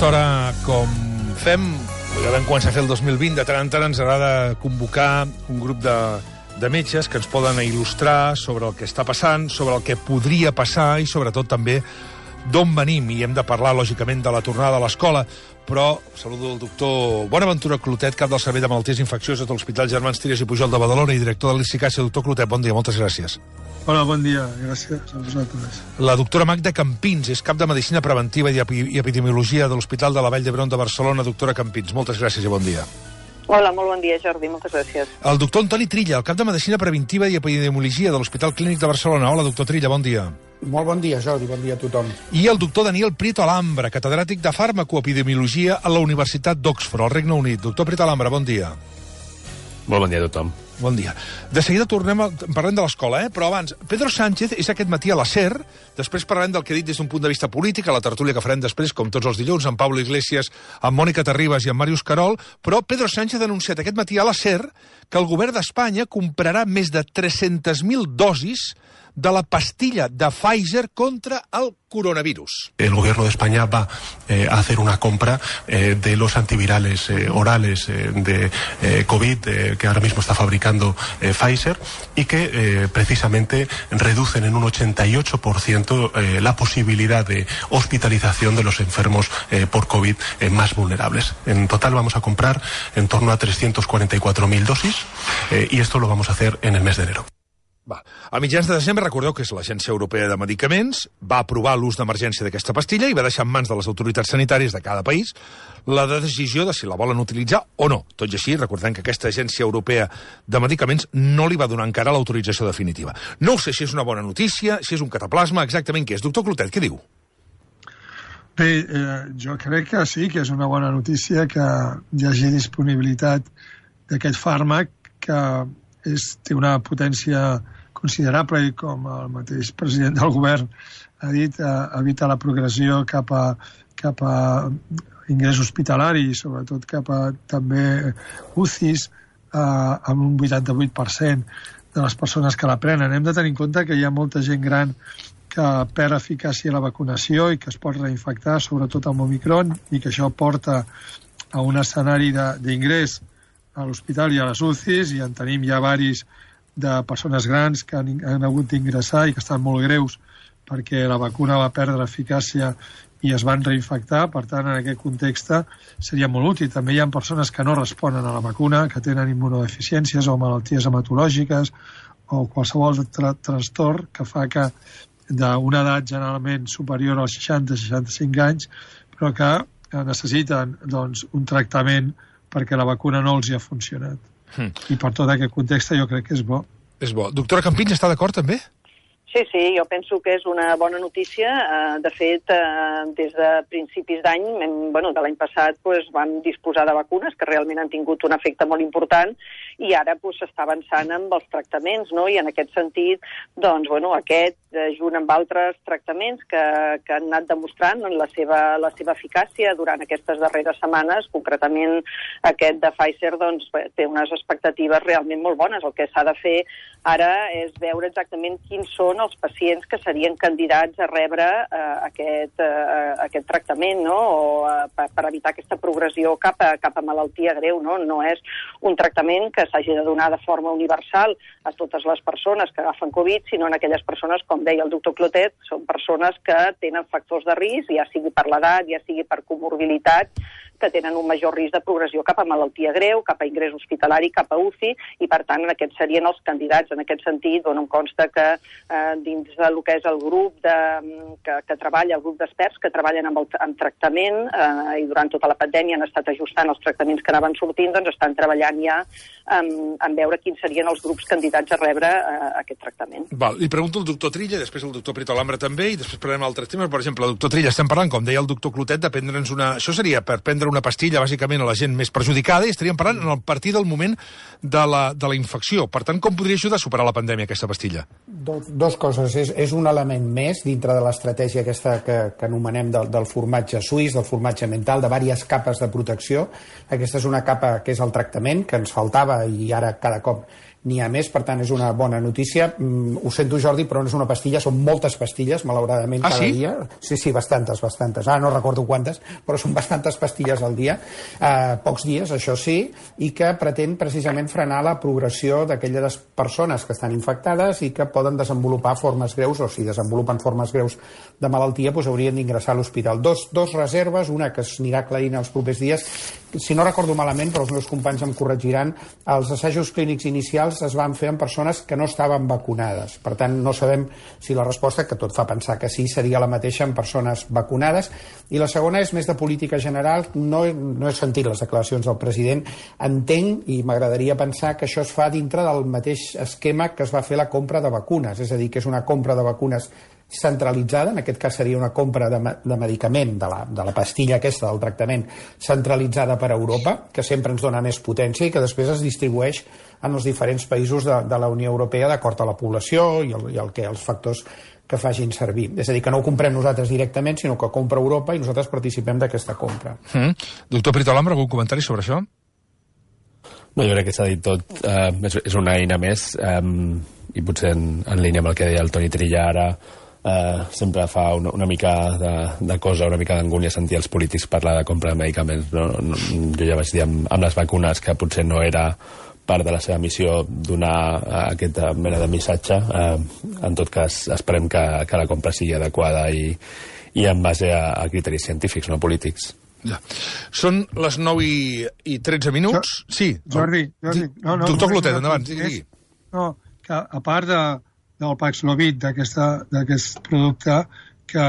aquesta hora, com fem, ja vam començar a fer el 2020, de tant en tant ens agrada convocar un grup de metges que ens poden il·lustrar sobre el que està passant, sobre el que podria passar i sobretot també d'on venim. I hem de parlar, lògicament, de la tornada a l'escola, però saludo el doctor Bonaventura Clotet, cap del Servei de Malalties Infeccioses de l'Hospital Germans Trias i Pujol de Badalona i director de l'ICICASI. Doctor Clotet, bon dia, moltes gràcies. Hola, bon dia, gràcies a vosaltres. La doctora Magda Campins és cap de Medicina Preventiva i Epidemiologia de l'Hospital de la Vall d'Hebron de Barcelona. Doctora Campins, moltes gràcies i bon dia. Hola, molt bon dia, Jordi, moltes gràcies. El doctor Antoni Trilla, el cap de Medicina Preventiva i Epidemiologia de l'Hospital Clínic de Barcelona. Hola, doctor Trilla, bon dia. Molt bon dia, Jordi, bon dia a tothom. I el doctor Daniel Prieto Alhambra, catedràtic de Farmacoepidemiologia a la Universitat d'Oxford, al Regne Unit. Doctor Prieto Alhambra, bon dia. Molt bon dia a tothom. Bon dia. De seguida parlem de l'escola, però abans, Pedro Sánchez és aquest matí a la SER, després parlarem del que ha dit des d'un punt de vista polític, a la tertúlia que farem després, com tots els dilluns, amb Pablo Iglesias, amb Mònica Terribas i amb Màrius Carol, però Pedro Sánchez ha anunciat aquest matí a la SER que el govern d'Espanya comprarà més de 300.000 dosis de la pastilla de Pfizer contra el coronavirus. El gobierno de España va a hacer una compra de los antivirales orales de COVID que ahora mismo está fabricando Pfizer y que precisamente reducen en un 88% la posibilidad de hospitalización de los enfermos por COVID más vulnerables. En total vamos a comprar en torno a 344.000 dosis y esto lo vamos a hacer en el mes de enero. A mitjans de desembre, recordeu que és l'Agència Europea de Medicaments, va aprovar l'ús d'emergència d'aquesta pastilla i va deixar en mans de les autoritats sanitàries de cada país la decisió de si la volen utilitzar o no. Tot i així, recordem que aquesta Agència Europea de Medicaments no li va donar encara l'autorització definitiva. No sé si és una bona notícia, si és un cataplasma, exactament què és. Doctor Clotet, què diu? Bé, jo crec que sí, que és una bona notícia que hi hagi disponibilitat d'aquest fàrmac que té una potència considerable i, com el mateix president del govern ha dit, evita la progressió cap a ingrés hospitalari i sobretot cap a també UCIs amb un 88% de les persones que la prenen. Hem de tenir en compte que hi ha molta gent gran que perd eficàcia a la vacunació i que es pot reinfectar, sobretot amb Omicron, i que això porta a un escenari d'ingrés a l'hospital i a les UCIs, i en tenim ja varis de persones grans que han hagut d'ingressar i que estan molt greus perquè la vacuna va perdre eficàcia i es van reinfectar. Per tant, en aquest context seria molt útil. També hi ha persones que no responen a la vacuna, que tenen immunodeficiències o malalties hematològiques o qualsevol trastorn que fa que d'una edat generalment superior als 60-65 anys, però que necessiten un tractament perquè la vacuna no els hi ha funcionat. I per tot aquest context jo crec que és bo. És bo. Doctora Campins, està d'acord també? Sí, jo penso que és una bona notícia. De fet, des de principis d'any, de l'any passat, vam disposar de vacunes que realment han tingut un efecte molt important i ara s'està avançant amb els tractaments, no? I en aquest sentit, aquest, junt amb altres tractaments que han anat demostrant la seva eficàcia durant aquestes darreres setmanes, concretament aquest de Pfizer, té unes expectatives realment molt bones. El que s'ha de fer ara és veure exactament quins són els pacients que serien candidats a rebre aquest tractament, no? O per evitar aquesta progressió cap a malaltia greu, no? No és un tractament que s'hagi de donar de forma universal a totes les persones que agafen Covid, sinó en aquelles persones, com deia el doctor Clotet, són persones que tenen factors de risc, ja sigui per l'edat, ja sigui per comorbilitat, que tenen un major risc de progressió cap a malaltia greu, cap a ingrés hospitalari, cap a UCI, i per tant aquests serien els candidats. En aquest sentit, em consta que dins del que és el grup que treballa, el grup d'experts que treballen amb tractament i durant tota la pandèmia han estat ajustant els tractaments que anaven sortint, estan treballant ja en veure quins serien els grups candidats a rebre aquest tractament. Li pregunto al doctor Trilla, després el doctor Prieto Alhambra també, i després parlarem d'altres temes. Per exemple, doctor Trilla, estem parlant, com deia el doctor Clotet, de prendre'ns una... Això seria per prendre una pastilla, bàsicament, a la gent més perjudicada, i estaríem parlant a partir del moment de la infecció. Per tant, com podria ajudar a superar la pandèmia, aquesta pastilla? Dos coses. És un element més dintre de l'estratègia aquesta que anomenem del formatge suís, del formatge mental, de diverses capes de protecció. Aquesta és una capa que és el tractament, que ens faltava i ara cada cop n'hi ha més, per tant és una bona notícia. Ho sento, Jordi, però no és una pastilla, són moltes pastilles, malauradament, cada dia. Sí, bastantes. No recordo quantes, però són bastantes pastilles al dia, pocs dies, això sí, i que pretén precisament frenar la progressió d'aquelles persones que estan infectades i que poden desenvolupar formes greus, o si desenvolupen formes greus de malaltia, doncs haurien d'ingressar a l'hospital. Dos reserves, una que s'anirà aclarint els propers dies. Si no recordo malament, però els meus companys em corregiran, els assajos clínics inicials es van fer amb persones que no estaven vacunades. Per tant, no sabem si la resposta, que tot fa pensar que sí, seria la mateixa en persones vacunades. I la segona és més de política general. No he sentit les declaracions del president. Entenc, i m'agradaria pensar, que això es fa dintre del mateix esquema que es va fer la compra de vacunes. És a dir, que és una compra de vacunes centralitzada, en aquest cas seria una compra de medicament, de la pastilla aquesta, del tractament, centralitzada per Europa, que sempre ens dona més potència i que després es distribueix en els diferents països de la Unió Europea d'acord a la població i els factors que facin servir. És a dir, que no ho comprem nosaltres directament, sinó que compra Europa i nosaltres participem d'aquesta compra. Doctor Prieto Alhambra, algun comentari sobre això? No, jo crec que s'ha dit tot. És una eina més i potser en línia amb el que deia el Toni Trilla ara, sempre fa una mica de cosa, una mica d'angúnia sentir els polítics parlar de compra de medicaments. Jo ja vaig dir amb les vacunes que potser no era part de la seva missió donar aquesta mena de missatge. En tot cas, esperem que la compra sigui adequada i en base a criteris científics, no polítics. Ja. Són les 9:13 minuts. Sí. Jordi. Doctor Clotet, endavant, digui. No, que a part del Paxlovid, d'aquest producte, que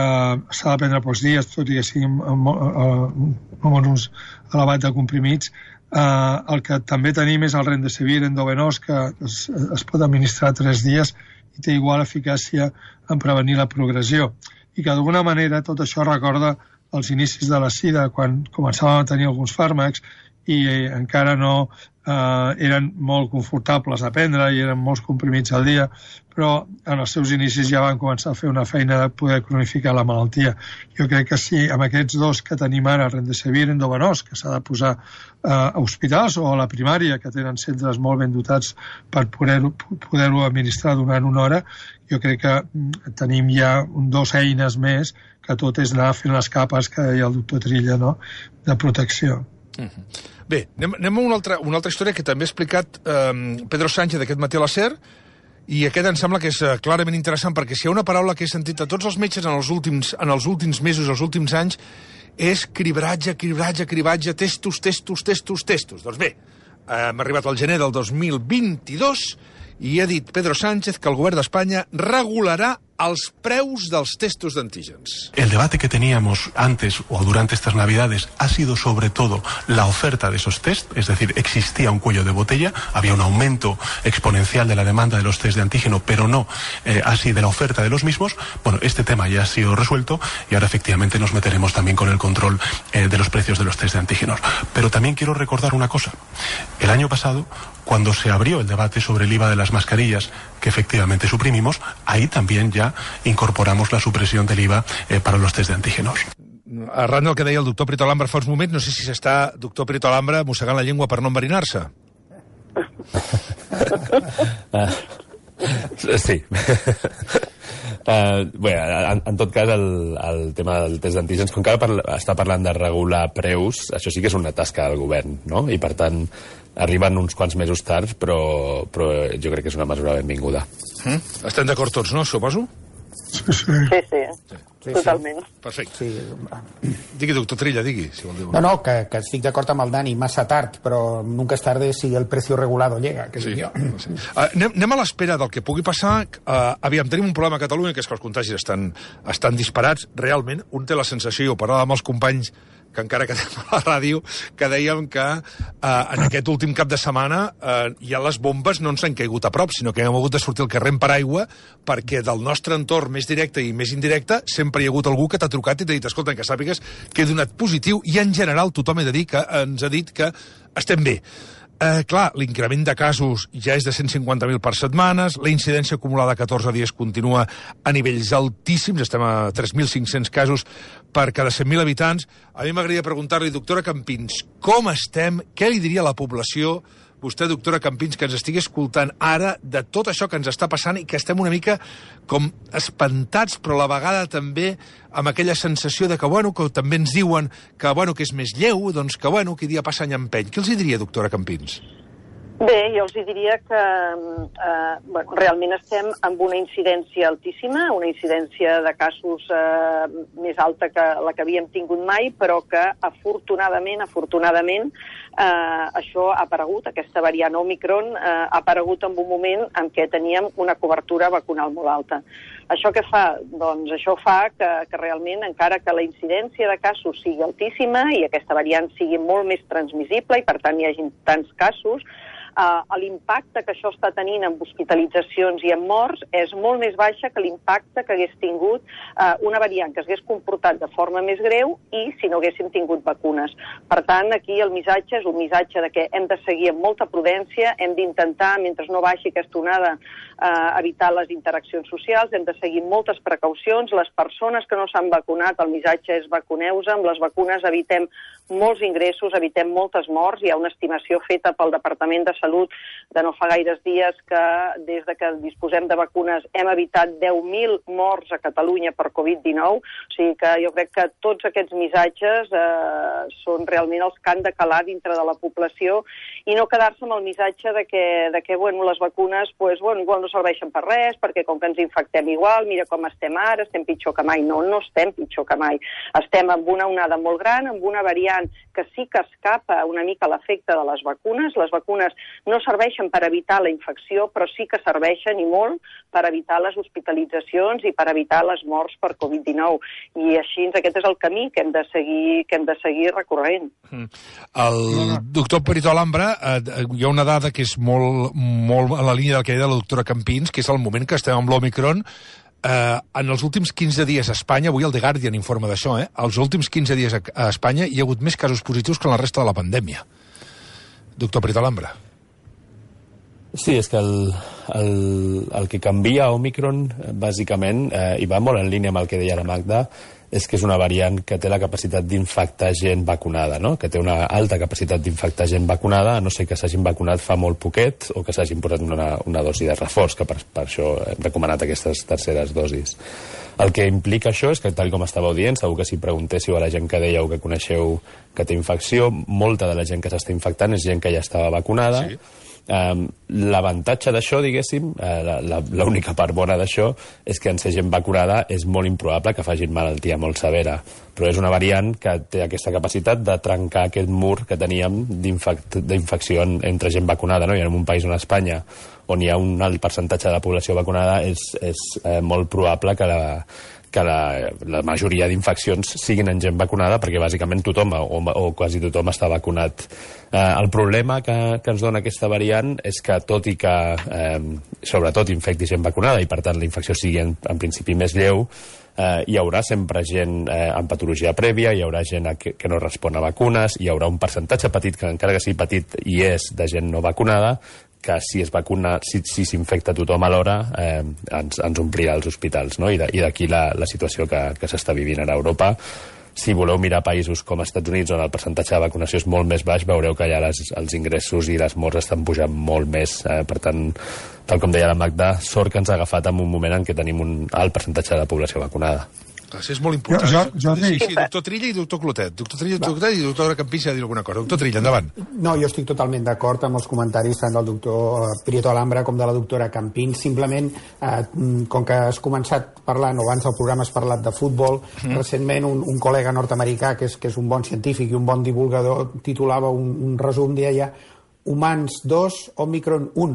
s'ha de prendre pocs dies, tot i que sigui amb un ús elevat de comprimits, el que també tenim és el Remdesivir endovenós, que es pot administrar 3 dies i té igual eficàcia en prevenir la progressió. I que d'alguna manera tot això recorda els inicis de la sida, quan començàvem a tenir alguns fàrmacs i encara no eren molt confortables a prendre i eren molts comprimits al dia, però en els seus inicis ja van començar a fer una feina de poder cronificar la malaltia. Jo crec que sí, amb aquests dos que tenim ara, Remdesivir endovenós, que s'ha de posar a hospitals o a la primària, que tenen centres molt ben dotats per poder-ho administrar durant una hora, jo crec que tenim ja 2 eines més, que tot és anar fent les capes que deia el doctor Trilla, no?, de protecció. Bé, anem a una altra història que també ha explicat Pedro Sánchez aquest matí a la SER, i aquest em sembla que és clarament interessant, perquè si hi ha una paraula que he sentit a tots els metges en els últims mesos, els últims anys, és cribratge, testos. Doncs bé, hem arribat al gener del 2022 i ha dit Pedro Sánchez que el govern d'Espanya regularà els preus dels testos d'antígens. El debate que teníamos antes o durante estas Navidades ha sido sobre todo la oferta de esos test, es decir, existía un cuello de botella, había un aumento exponencial de la demanda de los test de antígeno, pero no así de la oferta de los mismos. Bueno, este tema ya ha sido resuelto y ahora efectivamente nos meteremos también con el control de los precios de los test de antígenos. Pero también quiero recordar una cosa. El año pasado, cuando se abrió el debate sobre el IVA de las mascarillas, que efectivamente suprimimos, ahí también ya incorporamos la supresión del IVA para los test de antígenos. Arran del que deia el doctor Prieto Alhambra fa uns moments, no sé si s'està, doctor Prieto Alhambra, mossegant la llengua per no enverinar-se. Sí. Bé, en tot cas, el tema del test d'antígens, com que ara està parlant de regular preus, això sí que és una tasca del govern, no? I, per tant, arriben uns quants mesos tard, però jo crec que és una mesura benvinguda. Estem d'acord tots, no, suposo? Sí, totalment. Perfecte. Sí. Digui, doctor Trilla, digui, si vol dir. No, que estic d'acord amb el Dani, massa tard, però nunca es tarde si el precio regulado llega, que sí. Jo. Sí. Anem a l'espera del que pugui passar. Aviam, tenim un problema a Catalunya, que és que els contagis estan disparats. Realment, un té la sensació, i ho parlava amb els companys que encara quedem a la ràdio, que dèiem que en aquest últim cap de setmana ja les bombes no ens han caigut a prop, sinó que hem hagut de sortir al carrer en paraigua, perquè del nostre entorn més directe i més indirecte sempre hi ha hagut algú que t'ha trucat i t'ha dit, escolta, que sàpigues que he donat positiu, i en general tothom ens ha dit que estem bé. Clar, l'increment de casos ja és de 150.000 per setmanes, la incidència acumulada a 14 dies continua a nivells altíssims, estem a 3.500 casos per cada 100.000 habitants. A mi m'agradaria preguntar-li, doctora Campins, com estem? Què li diria a la població? vostè, doctora Campins, que ens estigui escoltant ara de tot això que ens està passant i que estem una mica com espantats, però a la vegada també amb aquella sensació de que, bueno, que també ens diuen que, bueno, que és més lleu, doncs que, bueno, que dia passa any empeny. Què els hi diria, doctora Campins? Bé, jo els diria que realment estem amb una incidència altíssima, una incidència de casos més alta que la que havíem tingut mai, però que afortunadament, això ha aparegut, aquesta variant Omicron ha aparegut en un moment en què teníem una cobertura vacunal molt alta. Això què fa? Doncs això fa que realment, encara que la incidència de casos sigui altíssima i aquesta variant sigui molt més transmissible i per tant hi hagi tants casos, l'impacte que això està tenint en hospitalitzacions i en morts és molt més baixa que l'impacte que hagués tingut una variant que s'hagués comportat de forma més greu i si no haguéssim tingut vacunes. Per tant, aquí el missatge és un missatge de que hem de seguir amb molta prudència, hem d'intentar, mentre no baixi aquesta onada, evitar les interaccions socials, hem de seguir moltes precaucions. Les persones que no s'han vacunat, el missatge és vacuneu-se, amb les vacunes evitem molts ingressos, evitem moltes morts. Hi ha una estimació feta pel Departament de Salut de no fa gaires dies que des de que disposem de vacunes hem evitat 10.000 morts a Catalunya per Covid-19. O sigui que jo crec que tots aquests missatges són realment els que han de calar dintre de la població i no quedar-se amb el missatge de que bueno, les vacunes igual no serveixen per res, perquè com que ens infectem igual, mira com estem ara, estem pitjor que mai. No estem pitjor que mai. Estem amb una onada molt gran, amb una variant que sí que escapa una mica l'efecte de les vacunes. Les vacunes no serveixen per evitar la infecció, però sí que serveixen i molt per evitar les hospitalitzacions i per evitar les morts per Covid-19. I així aquest és el camí que hem de seguir recorrent. El doctor Perito Alhambra, hi ha una dada que és molt a la línia del que deia la doctora Campins, que és el moment que estem amb l'Omicron. En els últims 15 dies a Espanya, avui el The Guardian informa d'això, els últims 15 dies a Espanya hi ha hagut més casos positius que en la resta de la pandèmia. Doctor Perito Alhambra. Sí, és que el que canvia Omicron, bàsicament, i va molt en línia amb el que deia la Magda, és que és una variant que té la capacitat d'infectar gent vacunada, no? Que té una alta capacitat d'infectar gent vacunada, a no ser que s'hagin vacunat fa molt poquet o que s'hagin posat una dosi de reforç, que per això hem recomanat aquestes terceres dosis. El que implica això és que, tal com estàveu dient, segur que si preguntéssiu a la gent que dèieu que coneixeu que té infecció, molta de la gent que s'està infectant és gent que ja estava vacunada. Sí. L'avantatge d'això, diguéssim, l'única part bona d'això és que en ser gent vacunada és molt improbable que facin malaltia molt severa, però és una variant que té aquesta capacitat de trencar aquest mur que teníem d'infecció entre gent vacunada, no? I en un país on Espanya, on hi ha un alt percentatge de la població vacunada, és molt probable que la majoria d'infeccions siguin en gent vacunada, perquè bàsicament tothom o quasi tothom està vacunat. El problema que ens dona aquesta variant és que, tot i que sobretot infecti gent vacunada i per tant la infecció sigui en principi més lleu, hi haurà sempre gent amb patologia prèvia, hi haurà gent que no respon a vacunes, hi haurà un percentatge petit, que encara que sigui petit hi és, de gent no vacunada, que si es vacuna, si s'infecta tothom alhora, ens omplirà els hospitals, no? I d'aquí la situació que s'està vivint ara a Europa. Si voleu mirar països com els Estats Units, on el percentatge de vacunació és molt més baix, veureu que allà els ingressos i les morts estan pujant molt més. Per tant, tal com deia la Magda, sort que ens ha agafat en un moment en què tenim un alt percentatge de la població vacunada. És molt important. Sí, doctor Trilla i doctor Clotet. Doctor Trilla i doctora Campins ha de dir alguna cosa. Doctor Trilla, endavant. No, jo estic totalment d'acord amb els comentaris tant del doctor Perito Alhambra com de la doctora Campins. Simplement, com que has començat parlant, o abans del programa has parlat de futbol, recentment un col·lega nord-americà, que és un bon científic i un bon divulgador, titulava un resum, deia Humans 2, Omicron 1.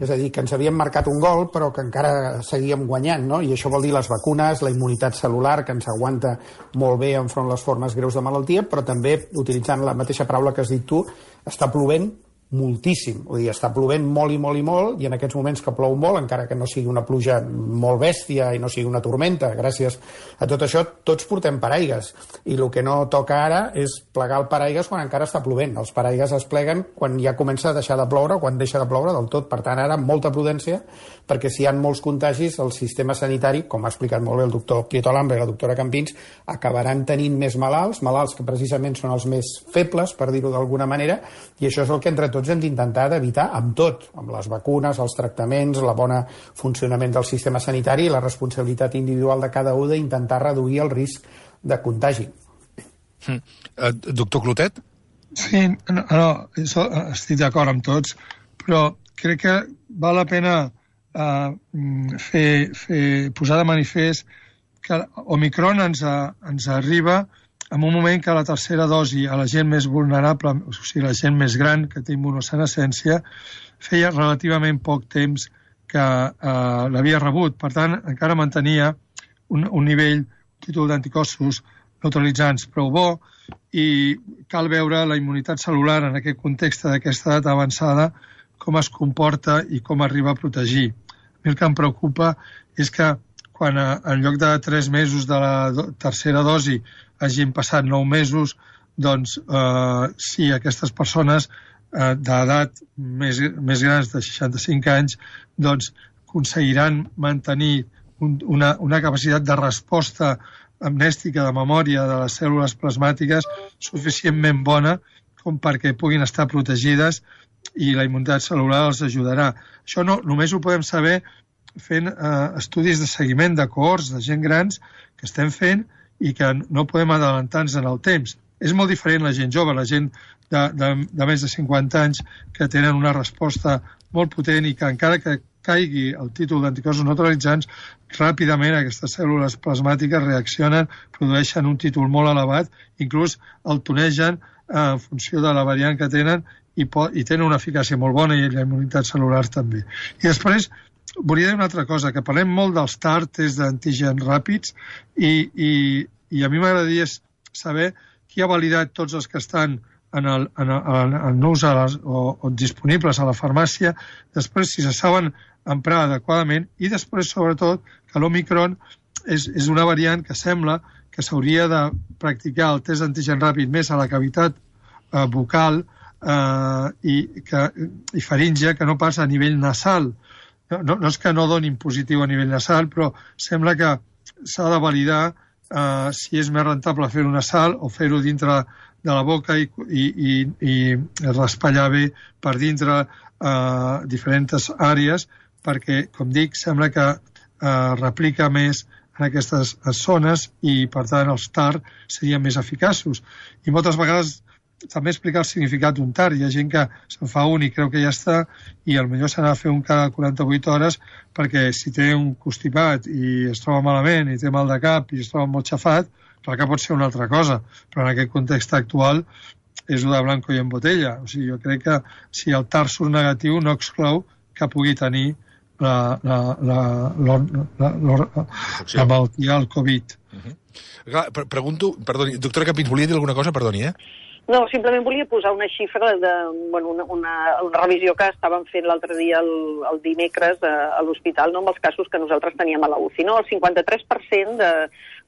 És a dir, que ens havíem marcat un gol, però que encara seguíem guanyant, no? I això vol dir les vacunes, la immunitat cel·lular, que ens aguanta molt bé enfront les formes greus de malaltia, però també, utilitzant la mateixa paraula que has dit tu, està plovent moltíssim. Vull dir, està plovent molt i molt i molt, i en aquests moments que plou molt, encara que no sigui una pluja molt bèstia i no sigui una tormenta, gràcies a tot això, tots portem paraigues. I el que no toca ara és plegar el paraigues quan encara està plovent. Els paraigues es pleguen quan ja comença a deixar de ploure, quan deixa de ploure del tot. Per tant, ara, molta prudència, perquè si hi ha molts contagis, el sistema sanitari, com ha explicat molt bé el doctor Perito Alhambra i la doctora Campins, acabaran tenint més malalts que precisament són els més febles, per dir-ho d'alguna manera, i això és el que entre tots tots hem d'intentar d'evitar amb tot, amb les vacunes, els tractaments, el bon funcionament del sistema sanitari i la responsabilitat individual de cada un d'intentar reduir el risc de contagi. Doctor Clotet? Sí, estic d'acord amb tots, però crec que val la pena posar de manifest que Omicron ens arriba en un moment que la tercera dosi a la gent més vulnerable, o sigui, la gent més gran, que té immunosenescència, feia relativament poc temps que l'havia rebut. Per tant, encara mantenia un nivell, un títol d'anticossos neutralitzants prou bo, i cal veure la immunitat cel·lular en aquest context d'aquesta edat avançada, com es comporta i com arriba a protegir. A mi el que em preocupa és que quan en lloc de 3 mesos de la tercera dosi hagin passat 9 mesos, doncs sí, aquestes persones d'edat més grans de 65 anys doncs aconseguiran mantenir una capacitat de resposta amnèstica de memòria de les cèl·lules plasmàtiques suficientment bona com perquè puguin estar protegides i la immunitat cel·lular els ajudarà. Això només ho podem saber fent estudis de seguiment de cohorts de gent grans que estem fent i que no podem adelantar-nos en el temps. És molt diferent la gent jove, la gent de més de 50 anys que tenen una resposta molt potent i que encara que caigui el títol d'anticossos neutralitzants, ràpidament aquestes cèl·lules plasmàtiques reaccionen, produeixen un títol molt elevat, inclús el tonegen en funció de la variant que tenen i tenen una eficàcia molt bona i la immunitat cel·lular també. I després volia dir una altra cosa, que parlem molt dels TAR, tests d'antígens ràpids, i a mi m'agradaria saber qui ha validat tots els que estan en ús o disponibles a la farmàcia, després si se saben emprar adequadament, i després, sobretot, que l'Omicron és una variant que sembla que s'hauria de practicar el test d'antigen ràpid més a la cavitat bucal i faríngia que no pas a nivell nasal. No és que no donin positiu a nivell nasal, però sembla que s'ha de validar si és més rentable fer-ho nasal o fer-ho dintre de la boca i raspallar bé per dintre diferents àrees, perquè, com dic, sembla que replica més en aquestes zones i, per tant, els TAR serien més eficaços. I moltes vegades també explicar el significat d'un TAR. Hi ha gent que se'n fa un i creu que ja està i potser se n'ha de fer un cada 48 hores perquè si té un constipat i es troba malament i té mal de cap i es troba molt xafat, clar que pot ser una altra cosa, però en aquest context actual és de blanco i en botella. O sigui, jo crec que si el TAR surt negatiu no exclou que pugui tenir la malaltia, el Covid. Pregunto, perdoni, doctora Campins, volia dir alguna cosa? Perdoni, No, simplement volia posar una xifra una revisió que estàvem fent l'altre dia, el dimecres, a l'hospital, amb els casos que nosaltres teníem a la UCI. El 53%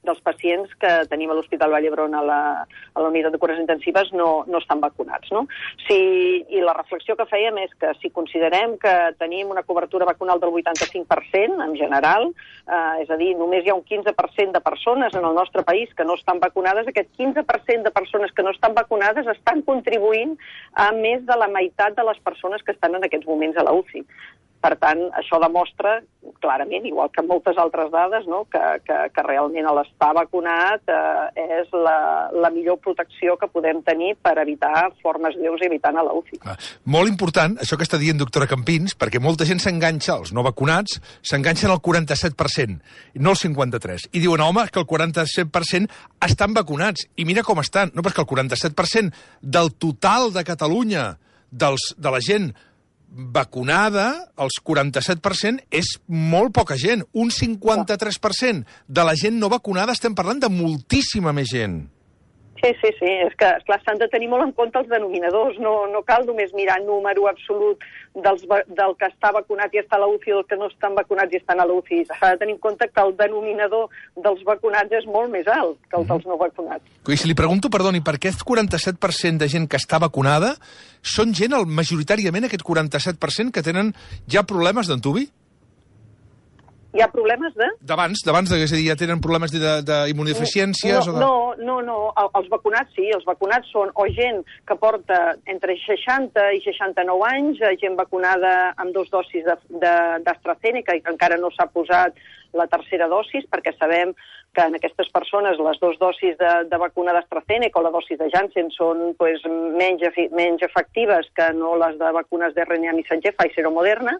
dels pacients que tenim a l'Hospital Vall d'Hebron a la unitat de cures intensives no estan vacunats. I la reflexió que fèiem és que si considerem que tenim una cobertura vacunal del 85% en general, és a dir, només hi ha un 15% de persones en el nostre país que no estan vacunades, aquest 15% de persones que no estan vacunades estan contribuint a més de la meitat de les persones que estan en aquests moments a la UCI. Per tant, això demostra clarament, igual que moltes altres dades, que realment l'estar vacunat és la millor protecció que podem tenir per evitar formes greus i evitant a la UCI. Molt important, això que està dient doctora Campins, perquè molta gent s'enganxa, els no vacunats, s'enganxen al 47%, no al 53%. I diuen, home, que el 47% estan vacunats. I mira com estan. No, però és que el 47% del total de Catalunya, de la gent vacunada, els 47% és molt poca gent. Un 53% de la gent no vacunada, estem parlant de moltíssima més gent. Sí. És que, esclar, s'han de tenir molt en compte els denominadors. No cal només mirar número absolut del que està vacunat i està a la UCI i del que no estan vacunats i estan a la UCI. S'ha de tenir en compte que el denominador dels vacunats és molt més alt que el dels no vacunats. I si li pregunto, perdoni, per aquest 47% de gent que està vacunada són gent, majoritàriament, aquest 47% que tenen ja problemes d'antubi? Hi ha problemes de? D'abans, és a dir, ja tenen problemes d'immunodeficiències? No, els vacunats sí, els vacunats són o gent que porta entre 60 i 69 anys, gent vacunada amb 2 dosis d'AstraZeneca i que encara no s'ha posat la tercera dosis, perquè sabem que en aquestes persones les 2 dosis de vacuna d'AstraZeneca o la dosis de Janssen són menys efectives que no les de vacunes d'RNA missatger, Pfizer o Moderna,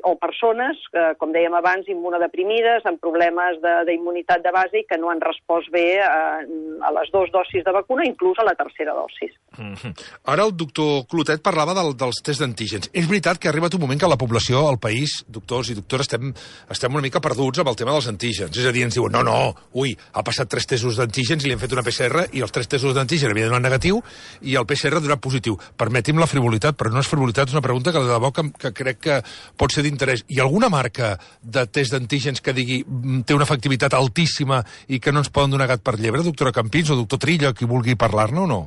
o persones, com dèiem abans, immunodeprimides, amb problemes d'immunitat de base i que no han respost bé a les 2 dosis de vacuna, inclús a la tercera dosis. Ara el doctor Clotet parlava dels tests d'antígens. És veritat que ha arribat un moment que la població, al país, doctors i doctores, estem una mica perduts amb el tema dels antígens. És a dir, ens diuen, ha passat 3 testos d'antígens i li hem fet una PCR i els 3 testos d'antígens havien donat negatiu i el PCR ha donat positiu. Permeti'm la frivolitat, però no és frivolitat, és una pregunta que de debò que crec que pot ser d'interès. Hi ha alguna marca de test d'antígens que digui té una efectivitat altíssima i que no ens poden donar gat per llebre, doctora Campins o doctor Trilla, qui vulgui parlar-ne o no?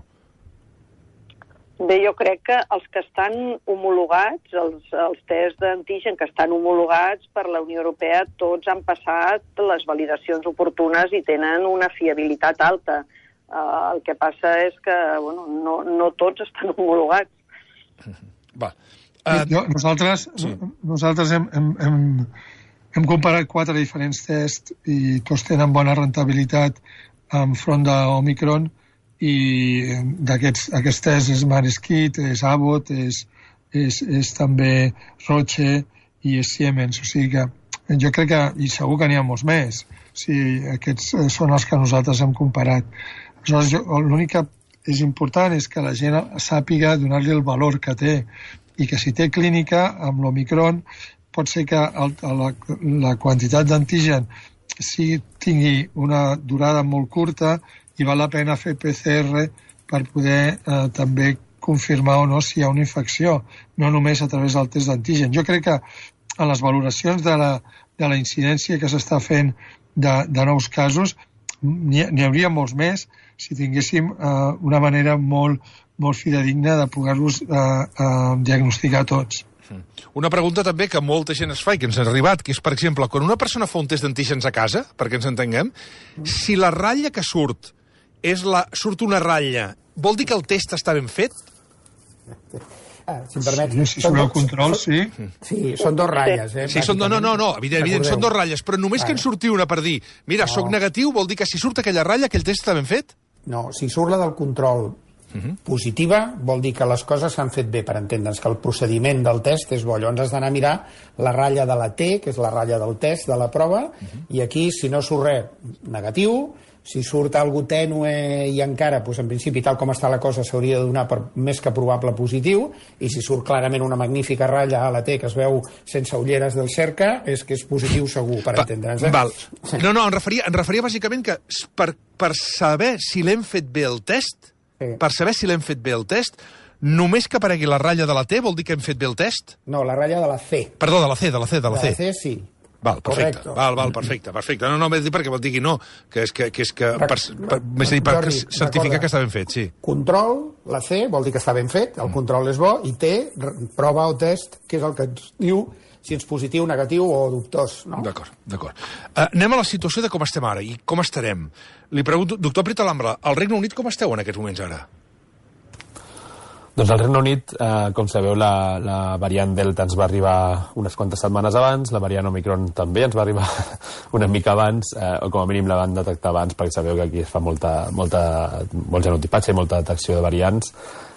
Bé, jo crec que els que estan homologats, els tests d'antigen que estan homologats per la Unió Europea, tots han passat les validacions oportunes i tenen una fiabilitat alta. El que passa és que no tots estan homologats. Va. Nosaltres hem comparat 4 diferents tests i tots tenen bona rentabilitat enfront d'Omicron i d'aquests tests és Maresquit, és Abbott, és també Roche i és Siemens. O sigui que jo crec que, i segur que n'hi ha molts més, aquests són els que nosaltres hem comparat. Aleshores, l'únic que és important és que la gent sàpiga donar-li el valor que té i que si té clínica amb l'Omicron pot ser que la quantitat d'antigen tingui una durada molt curta i val la pena fer PCR per poder també confirmar o no si hi ha una infecció, no només a través del test d'antigen. Jo crec que en les valoracions de la incidència que s'està fent de nous casos n'hi hauria molts més si tinguéssim una manera molt fidedigna de poder-los diagnosticar tots. Una pregunta també que molta gent es fa i que ens ha arribat, que és, per exemple, quan una persona fa un test d'antígens a casa, perquè ens entenguem, si la ratlla que surt surt una ratlla, vol dir que el test està ben fet? Si em permets... Si surt el control, sí. Sí, són 2 ratlles. Sí, no, evident, són 2 ratlles, però només que en surti una per dir, mira, soc negatiu, vol dir que si surt aquella ratlla, aquell test està ben fet? No, si surt la del control positiva, vol dir que les coses s'han fet bé, per entendre'ns que el procediment del test és bo. Llavors has d'anar a mirar la ratlla de la T, que és la ratlla del test, de la prova, i aquí, si no surt res negatiu, si surt algú tènue i encara, doncs, en principi, tal com està la cosa, s'hauria de donar per més que probable positiu, i si surt clarament una magnífica ratlla a la T que es veu sense ulleres del cerca, és que és positiu segur, per entendre'ns. Val. No, em referia bàsicament que per saber si l'hem fet bé el test, només que aparegui la ratlla de la T vol dir que hem fet bé el test? No, la ratlla de la C. Perdó, de la C. De la C, sí. Val, perfecte. Val, perfecte. No, m'he dit perquè vol dir que no, que per certificar que està ben fet, sí. Control, la C, vol dir que està ben fet, el control és bo, i T, prova o test, que és el que ens diu si ets positiu, negatiu o dubtós, no? D'acord. Anem a la situació de com estem ara i com estarem. Li pregunto, doctor Prita-Lambra, al Regne Unit com esteu en aquests moments ara? Doncs al Regne Unit, com sabeu, la variant Delta ens va arribar unes quantes setmanes abans, la variant Omicron també ens va arribar una mica abans, o com a mínim la van detectar abans, perquè sabeu que aquí es fa molt genotipatge i molta detecció de variants.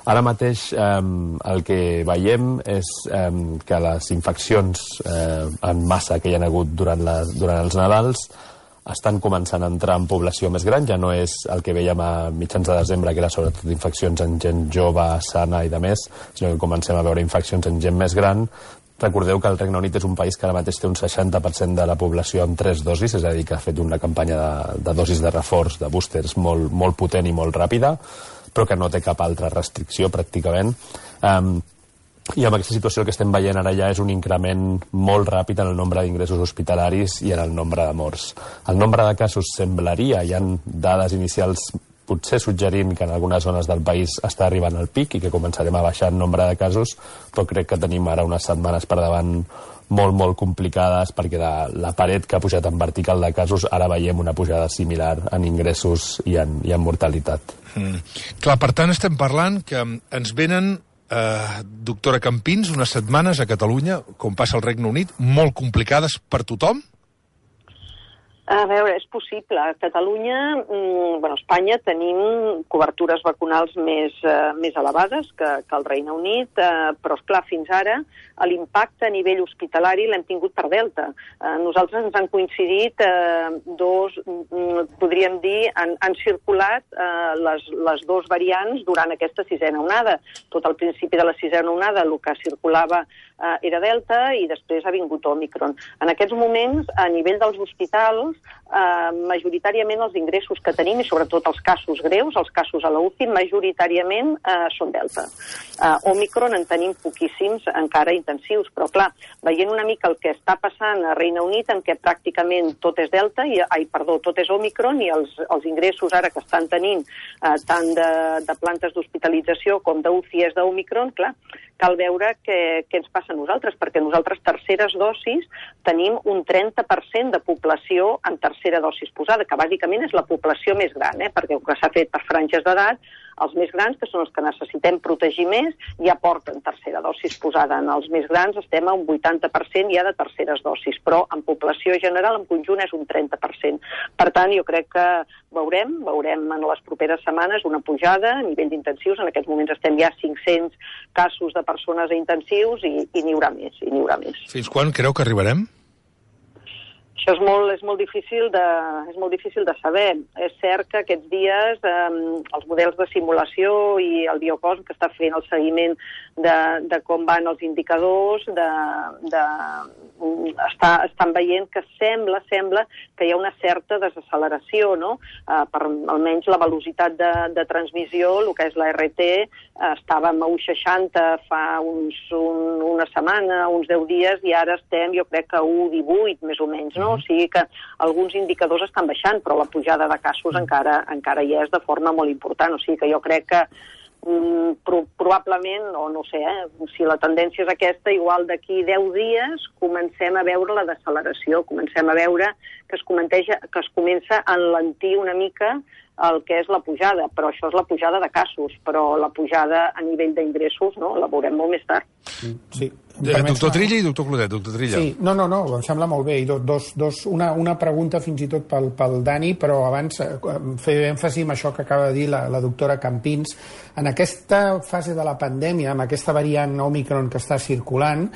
Ara mateix el que veiem és que les infeccions en massa que hi ha hagut durant els Nadals estan començant a entrar en població més gran, ja no és el que veiem a mitjans de desembre, que era sobretot infeccions en gent jove, sana i de més, sinó que comencem a veure infeccions en gent més gran. Recordeu que el Regne Unit és un país que ara mateix té un 60% de la població amb 3 dosis, és a dir, que ha fet una campanya de dosis de reforç, de boosters, molt potent i molt ràpida, però que no té cap altra restricció, pràcticament. I amb aquesta situació el que estem veient ara ja és un increment molt ràpid en el nombre d'ingressos hospitalaris i en el nombre de morts. El nombre de casos semblaria, hi ha dades inicials potser suggerint que en algunes zones del país està arribant al pic i que començarem a baixar el nombre de casos, però crec que tenim ara unes setmanes per davant molt complicades, perquè la paret que ha pujat en vertical de casos, ara veiem una pujada similar en ingressos i en mortalitat. Clar, per tant, estem parlant que ens venen, doctora Campins, unes setmanes a Catalunya, com passa al Regne Unit, molt complicades per tothom? A veure, és possible. A Catalunya, a Espanya, tenim cobertures vacunals més elevades que el Regne Unit, però, esclar, fins ara l'impacte a nivell hospitalari l'hem tingut per Delta. Nosaltres ens han coincidit podríem dir, han circulat les dues variants durant aquesta sisena onada. Tot al principi de la sisena onada el que circulava era Delta i després ha vingut Òmicron. En aquests moments, a nivell dels hospitals, majoritàriament els ingressos que tenim, i sobretot els casos greus, els casos a la UCI, majoritàriament són Delta. Òmicron en tenim poquíssims encara intensius, però clar, veient una mica el que està passant a Regne Unit, en què pràcticament tot és Delta, tot és Òmicron, i els ingressos ara que estan tenint tant de plantes d'hospitalització com d'UCI és d'Òmicron, clar, cal veure què ens passa a nosaltres, perquè nosaltres terceres dosis tenim un 30% de població en tercera dosis posada, que bàsicament és la població més gran, perquè el que s'ha fet per franges d'edat, els més grans, que són els que necessitem protegir més, ja porten tercera dosis posada. En els més grans estem a un 80% ja de terceres dosis, però en població general, en conjunt, és un 30%. Per tant, jo crec que veurem en les properes setmanes una pujada a nivell d'intensius. En aquests moments estem ja a 500 casos de persones a intensius i n'hi haurà més, Fins quan creu que arribarem? Això és molt difícil de saber. És cert que aquests dies els models de simulació i el Biocosm, que està fent el seguiment de com van els indicadors, estan veient que sembla que hi ha una certa desacceleració, no? Per almenys la velocitat de transmissió, el que és la RT, estàvem a 1,60 fa una setmana, uns 10 dies, i ara estem, jo crec que a 1,18 més o menys, no? O sigui que alguns indicadors estan baixant, però la pujada de casos encara hi és de forma molt important. O sigui que jo crec que probablement, o no sé, si la tendència és aquesta, igual d'aquí 10 dies comencem a veure la deceleració, comencem a veure que es comença a enlentir una mica el que és la pujada, però això és la pujada de casos, però la pujada a nivell d'ingressos, no?, la veurem molt més tard. Sí. Doctor Trilla i doctor Clotet. Doctor Trilla. Sí, no, em sembla molt bé. I una pregunta fins i tot pel Dani, però abans fer èmfasi en això que acaba de dir la doctora Campins. En aquesta fase de la pandèmia, amb aquesta variant Òmicron que està circulant,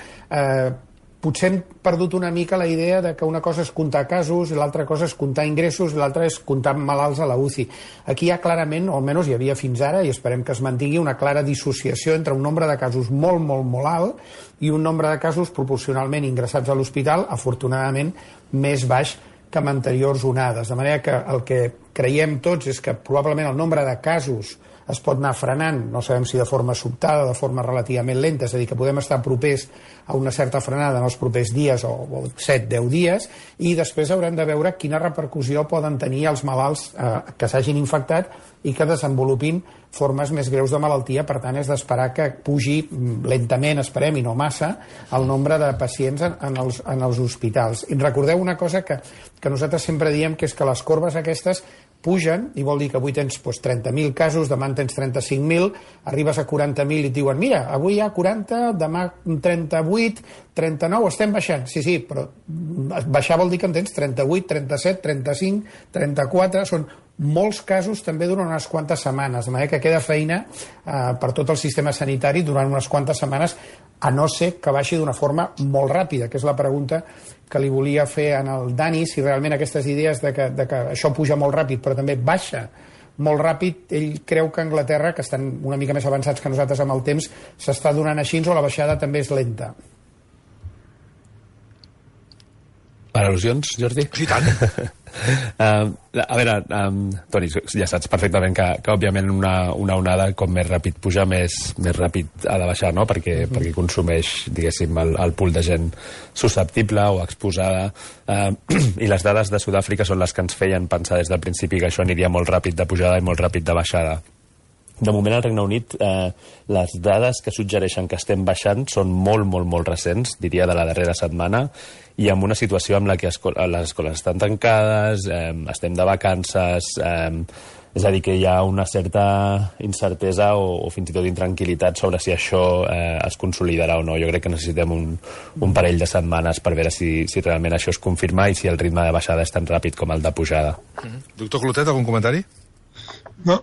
potser hem perdut una mica la idea de que una cosa és comptar casos i l'altra cosa és comptar ingressos i l'altra és comptar malalts a la UCI. Aquí hi ha clarament, o almenys hi havia fins ara, i esperem que es mantingui, una clara dissociació entre un nombre de casos molt alt i un nombre de casos proporcionalment ingressats a l'hospital, afortunadament, més baix que en anteriors onades. De manera que el que creiem tots és que probablement el nombre de casos es pot anar frenant, no sabem si de forma sobtada o de forma relativament lenta, és a dir, que podem estar propers a una certa frenada en els propers dies o 7-10 dies, i després haurem de veure quina repercussió poden tenir els malalts que s'hagin infectat i que desenvolupin formes més greus de malaltia. Per tant, és d'esperar que pugi lentament, esperem, i no massa, el nombre de pacients en els hospitals. I recordeu una cosa que nosaltres sempre diem, que és que les corbes aquestes pugen, i vol dir que avui tens 30.000 casos, demà en tens 35.000, arribes a 40.000 i et diuen, mira, avui hi ha 40, demà 38, 39, estem baixant. Sí, però baixar vol dir que en tens 38, 37, 35, 34, són molts casos també durant unes quantes setmanes, de manera que queda feina per tot el sistema sanitari durant unes quantes setmanes, a no ser que baixi d'una forma molt ràpida, que és la pregunta que li volia fer en el Dani, si realment aquestes idees de que això puja molt ràpid però també baixa molt ràpid, ell creu que a Anglaterra, que estan una mica més avançats que nosaltres amb el temps, s'està donant així o la baixada també és lenta. Per al·lusions, Jordi? Sí, tant. A veure, Toni, ja saps perfectament que òbviament una onada com més ràpid puja, més ràpid ha de baixar, no? Perquè consumeix, diguéssim, el pool de gent susceptible o exposada, i les dades de Sud-àfrica són les que ens feien pensar des del principi que això aniria molt ràpid de pujada i molt ràpid de baixada. De moment al Regne Unit les dades que suggereixen que estem baixant són molt, molt, molt recents, diria de la darrera setmana, i amb una situació en la que les escoles estan tancades, estem de vacances, és a dir, que hi ha una certa incertesa o fins i tot intranquil·litat sobre si això es consolidarà o no. Jo crec que necessitem un parell de setmanes per veure si realment això es confirma i si el ritme de baixada és tan ràpid com el de pujada. Doctor Clotet, algun comentari? No,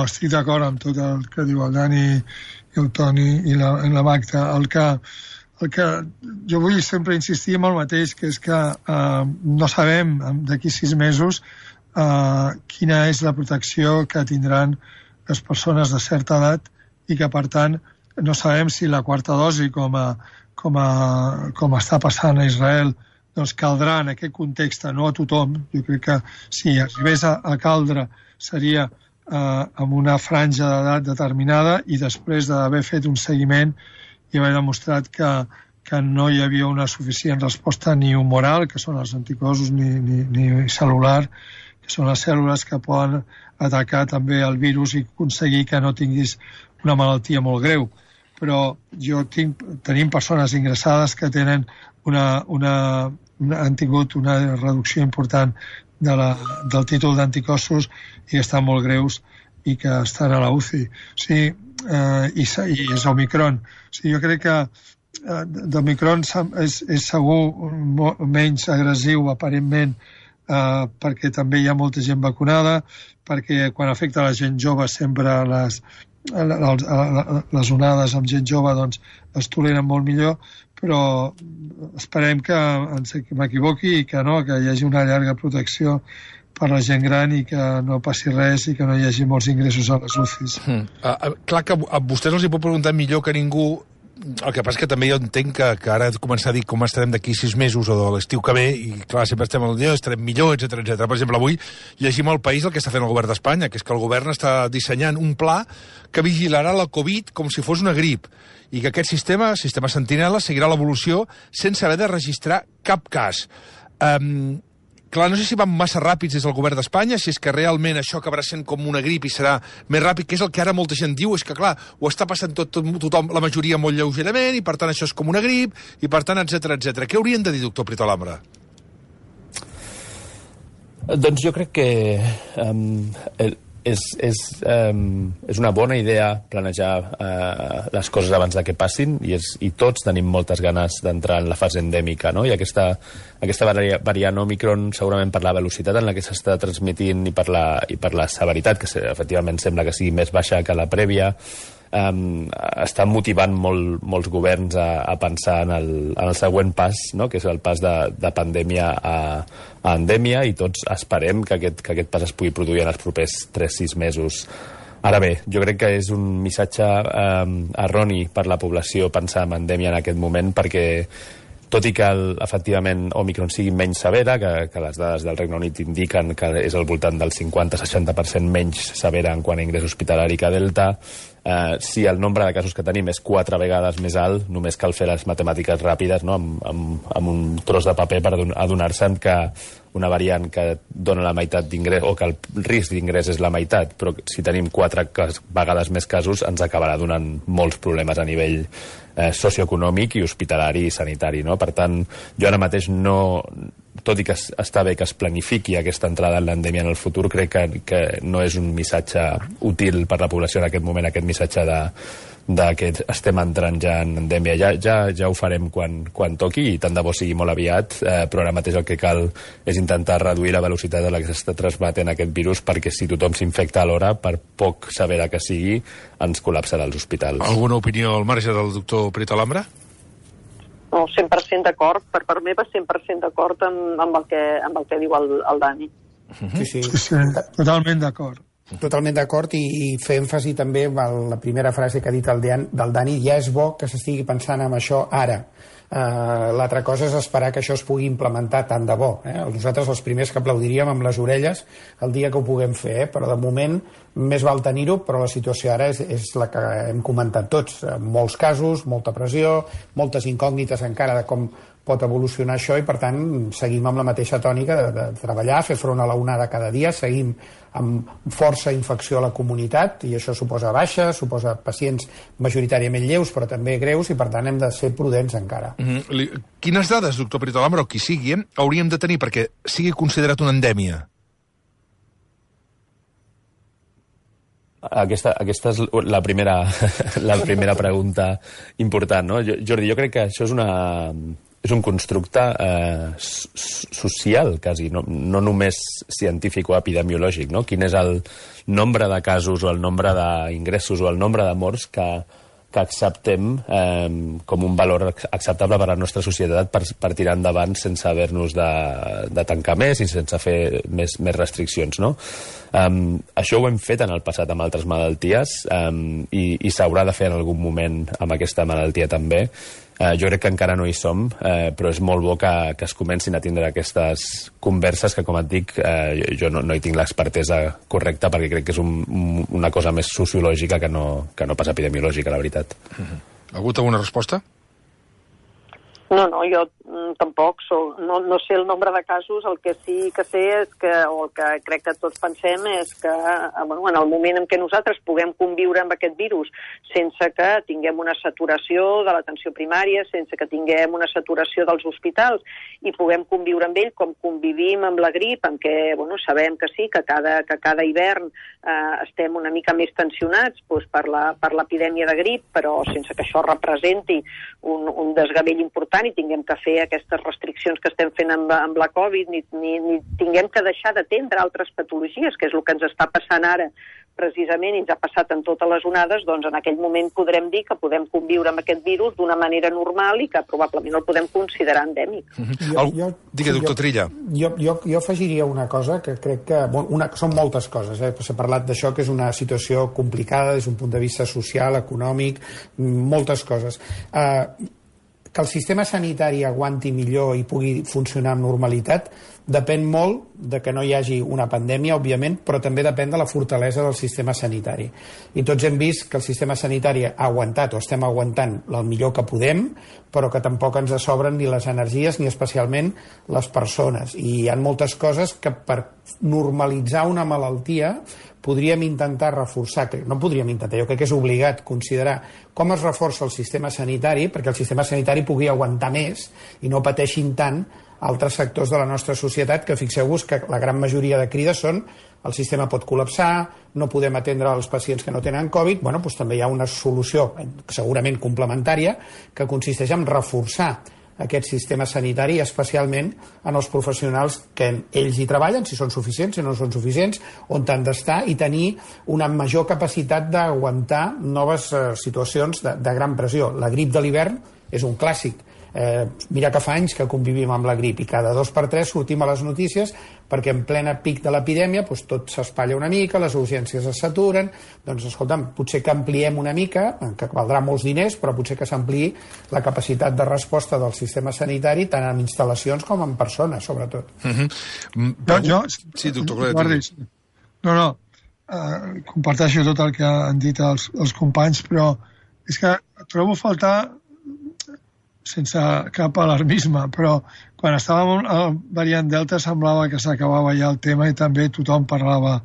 estic d'acord amb tot el que diu el Dani i el Toni i la Magda. El que jo vull sempre insistir en el mateix, que és que no sabem d'aquí 6 mesos quina és la protecció que tindran les persones de certa edat i que, per tant, no sabem si la quarta dosi, com està passant a Israel, doncs caldrà en aquest context, no a tothom. Jo crec que si arribés a caldre seria amb una franja d'edat determinada i després d'haver fet un seguiment i haver demostrat que no hi havia una suficient resposta ni humoral, que són els anticossos, ni cel·lular, que són les cèl·lules que poden atacar també el virus i aconseguir que no tinguis una malaltia molt greu. Però tenim persones ingressades que tenen han tingut una reducció important del títol d'anticossos i estan molt greus i que estan a la UCI. I és Omicron. Jo crec que d'Omicron és segur menys agressiu, aparentment, perquè també hi ha molta gent vacunada, perquè quan afecta la gent jove sempre les onades amb gent jove doncs es toleren molt millor, però esperem que m'equivoqui i que hi hagi una llarga protecció per la gent gran i que no passi res i que no hi hagi molts ingressos a les UCIs. Clar que a vostès els hi pot preguntar millor que ningú. El que passa és que també jo entenc que ara començar a dir com estarem d'aquí 6 mesos o de l'estiu que ve, i clar, sempre estem al dia, estarem millor, etc. Per exemple, avui llegim al País el que està fent el govern d'Espanya, que és que el govern està dissenyant un pla que vigilarà la Covid com si fos una grip, i que aquest sistema Sentinela, seguirà l'evolució sense haver de registrar cap cas. Clar, no sé si van massa ràpids des del govern d'Espanya, si és que realment això acabarà sent com una grip i serà més ràpid, que és el que ara molta gent diu, és que, clar, ho està passant tothom, la majoria molt lleugerament, i per tant això és com una grip, i per tant, etc. Què haurien de dir, doctor Prito Alhambra? Doncs jo crec que és una bona idea planejar les coses abans de que passin i tots tenim moltes ganes d'entrar en la fase endèmica, no? I aquesta variant Omicron, segurament per la velocitat en la que s'està transmitint i per la severitat, que efectivament sembla que sigui més baixa que la prèvia, està motivant molts governs a pensar en el següent pas, no? Que és el pas de pandèmia a endèmia, i tots esperem que aquest pas es pugui produir en els propers 3-6 mesos. Ara bé, jo crec que és un missatge erroni per la població pensar en endèmia en aquest moment, perquè tot i que efectivament Omicron sigui menys severa, que les dades del Regne Unit indiquen que és al voltant del 50-60% menys severa en quant a ingrés hospitalari que Delta, si el nombre de casos que tenim és 4 vegades més alt, només cal fer les matemàtiques ràpides, no? amb un tros de paper per adonar-se'n que una variant que dona la meitat d'ingrés, o que el risc d'ingrés és la meitat, però si tenim 4 vegades més casos ens acabarà donant molts problemes a nivell socioeconòmic i hospitalari i sanitari, no? Per tant, jo ara mateix tot i que està bé que es planifiqui aquesta entrada en l'endèmia en el futur, crec que no és un missatge útil per la població en aquest moment, aquest missatge de que estem entrant ja en endèmia. Ja ho farem quan toqui, i tant de bo sigui molt aviat, però ara mateix el que cal és intentar reduir la velocitat a la que s'està transmetent aquest virus, perquè si tothom s'infecta alhora, per poc severa que sigui, ens col·lapsarà els hospitals. Alguna opinió al marge del doctor Prito Alhambra? No, 100% d'acord. Per part meva, 100% d'acord amb el que diu el Dani. Sí, totalment d'acord. Totalment d'acord, i fer èmfasi també en la primera frase que ha dit del Dani, ja és bo que s'estigui pensant en això ara. L'altra cosa és esperar que això es pugui implementar tant de bo. Nosaltres els primers que aplaudiríem amb les orelles el dia que ho puguem fer, però de moment més val tenir-ho, però la situació ara és la que hem comentat tots. Molts casos, molta pressió, moltes incògnites encara de com pot evolucionar això, i per tant seguim amb la mateixa tònica de treballar, fer front a la onada cada dia, seguim amb força infecció a la comunitat, i això suposa baixa, suposa pacients majoritàriament lleus però també greus, i per tant hem de ser prudents encara. Quines dades, doctor Peritolamo, o qui sigui, hauríem de tenir perquè sigui considerat una endèmia? Aquesta és la primera pregunta important, no? Jordi, jo crec que això és un constructe social, quasi, no només científic o epidemiològic, no? Quin és el nombre de casos o el nombre d'ingressos o el nombre de morts que acceptem com un valor acceptable per a la nostra societat per tirar endavant sense haver-nos de tancar més i sense fer més restriccions, no? Això ho hem fet en el passat amb altres malalties i s'haurà de fer en algun moment amb aquesta malaltia també. Jo crec que encara no hi som, però és molt bo que es comencin a tindre aquestes converses que, com et dic, jo no hi tinc l'expertesa correcta perquè crec que és una cosa més sociològica que no pas epidemiològica, la veritat. Ha hagut alguna resposta? No, jo tampoc no sé el nombre de casos. El que sí que sé és que, o el que crec que tots pensem és que en el moment en què nosaltres puguem conviure amb aquest virus sense que tinguem una saturació de l'atenció primària, sense que tinguem una saturació dels hospitals i puguem conviure amb ell com convivim amb la grip, en què sabem que sí, que cada hivern estem una mica més tensionats per l'epidèmia de grip, però sense que això representi un desgavell important i tinguem que fer aquestes restriccions que estem fent amb la Covid, ni tinguem que deixar d'atendre altres patologies, que és el que ens està passant ara precisament, i ens ha passat en totes les onades, doncs en aquell moment podrem dir que podem conviure amb aquest virus d'una manera normal i que probablement el podem considerar endèmic. Digue, doctor Trilla. Jo afegiria una cosa que crec que... Són moltes coses, s'ha parlat d'això, que és una situació complicada des d'un punt de vista social, econòmic, moltes coses. Que el sistema sanitari aguanti millor i pugui funcionar amb normalitat depèn molt de que no hi hagi una pandèmia, òbviament, però també depèn de la fortalesa del sistema sanitari. I tots hem vist que el sistema sanitari ha aguantat, o estem aguantant el millor que podem, però que tampoc ens sobren ni les energies ni especialment les persones. I hi ha moltes coses que per normalitzar una malaltia podríem intentar reforçar, no podríem intentar, jo crec que és obligat considerar com es reforça el sistema sanitari perquè el sistema sanitari pugui aguantar més i no pateixin tant altres sectors de la nostra societat, que fixeu-vos que la gran majoria de crides són el sistema pot col·lapsar, no podem atendre els pacients que no tenen Covid, doncs també hi ha una solució segurament complementària que consisteix en reforçar aquest sistema sanitari, especialment en els professionals que ells hi treballen, si són suficients, si no són suficients, on han d'estar i tenir una major capacitat d'aguantar noves situacions de gran pressió. La grip de l'hivern és un clàssic. Mira que fa anys que convivim amb la grip i cada 2 per 3 sortim a les notícies perquè en plena pic de l'epidèmia tot s'espatlla una mica, les urgències es saturen. Doncs escolta'm, potser que ampliem una mica, que valdrà molts diners, però potser que s'ampliï la capacitat de resposta del sistema sanitari tant en instal·lacions com en persones, sobretot. Sí, doctor Claret. Comparteixo tot el que han dit els companys, però és que trobo a faltar, sense cap alarmisme, però quan estàvem al variant Delta semblava que s'acabava ja el tema i també tothom parlava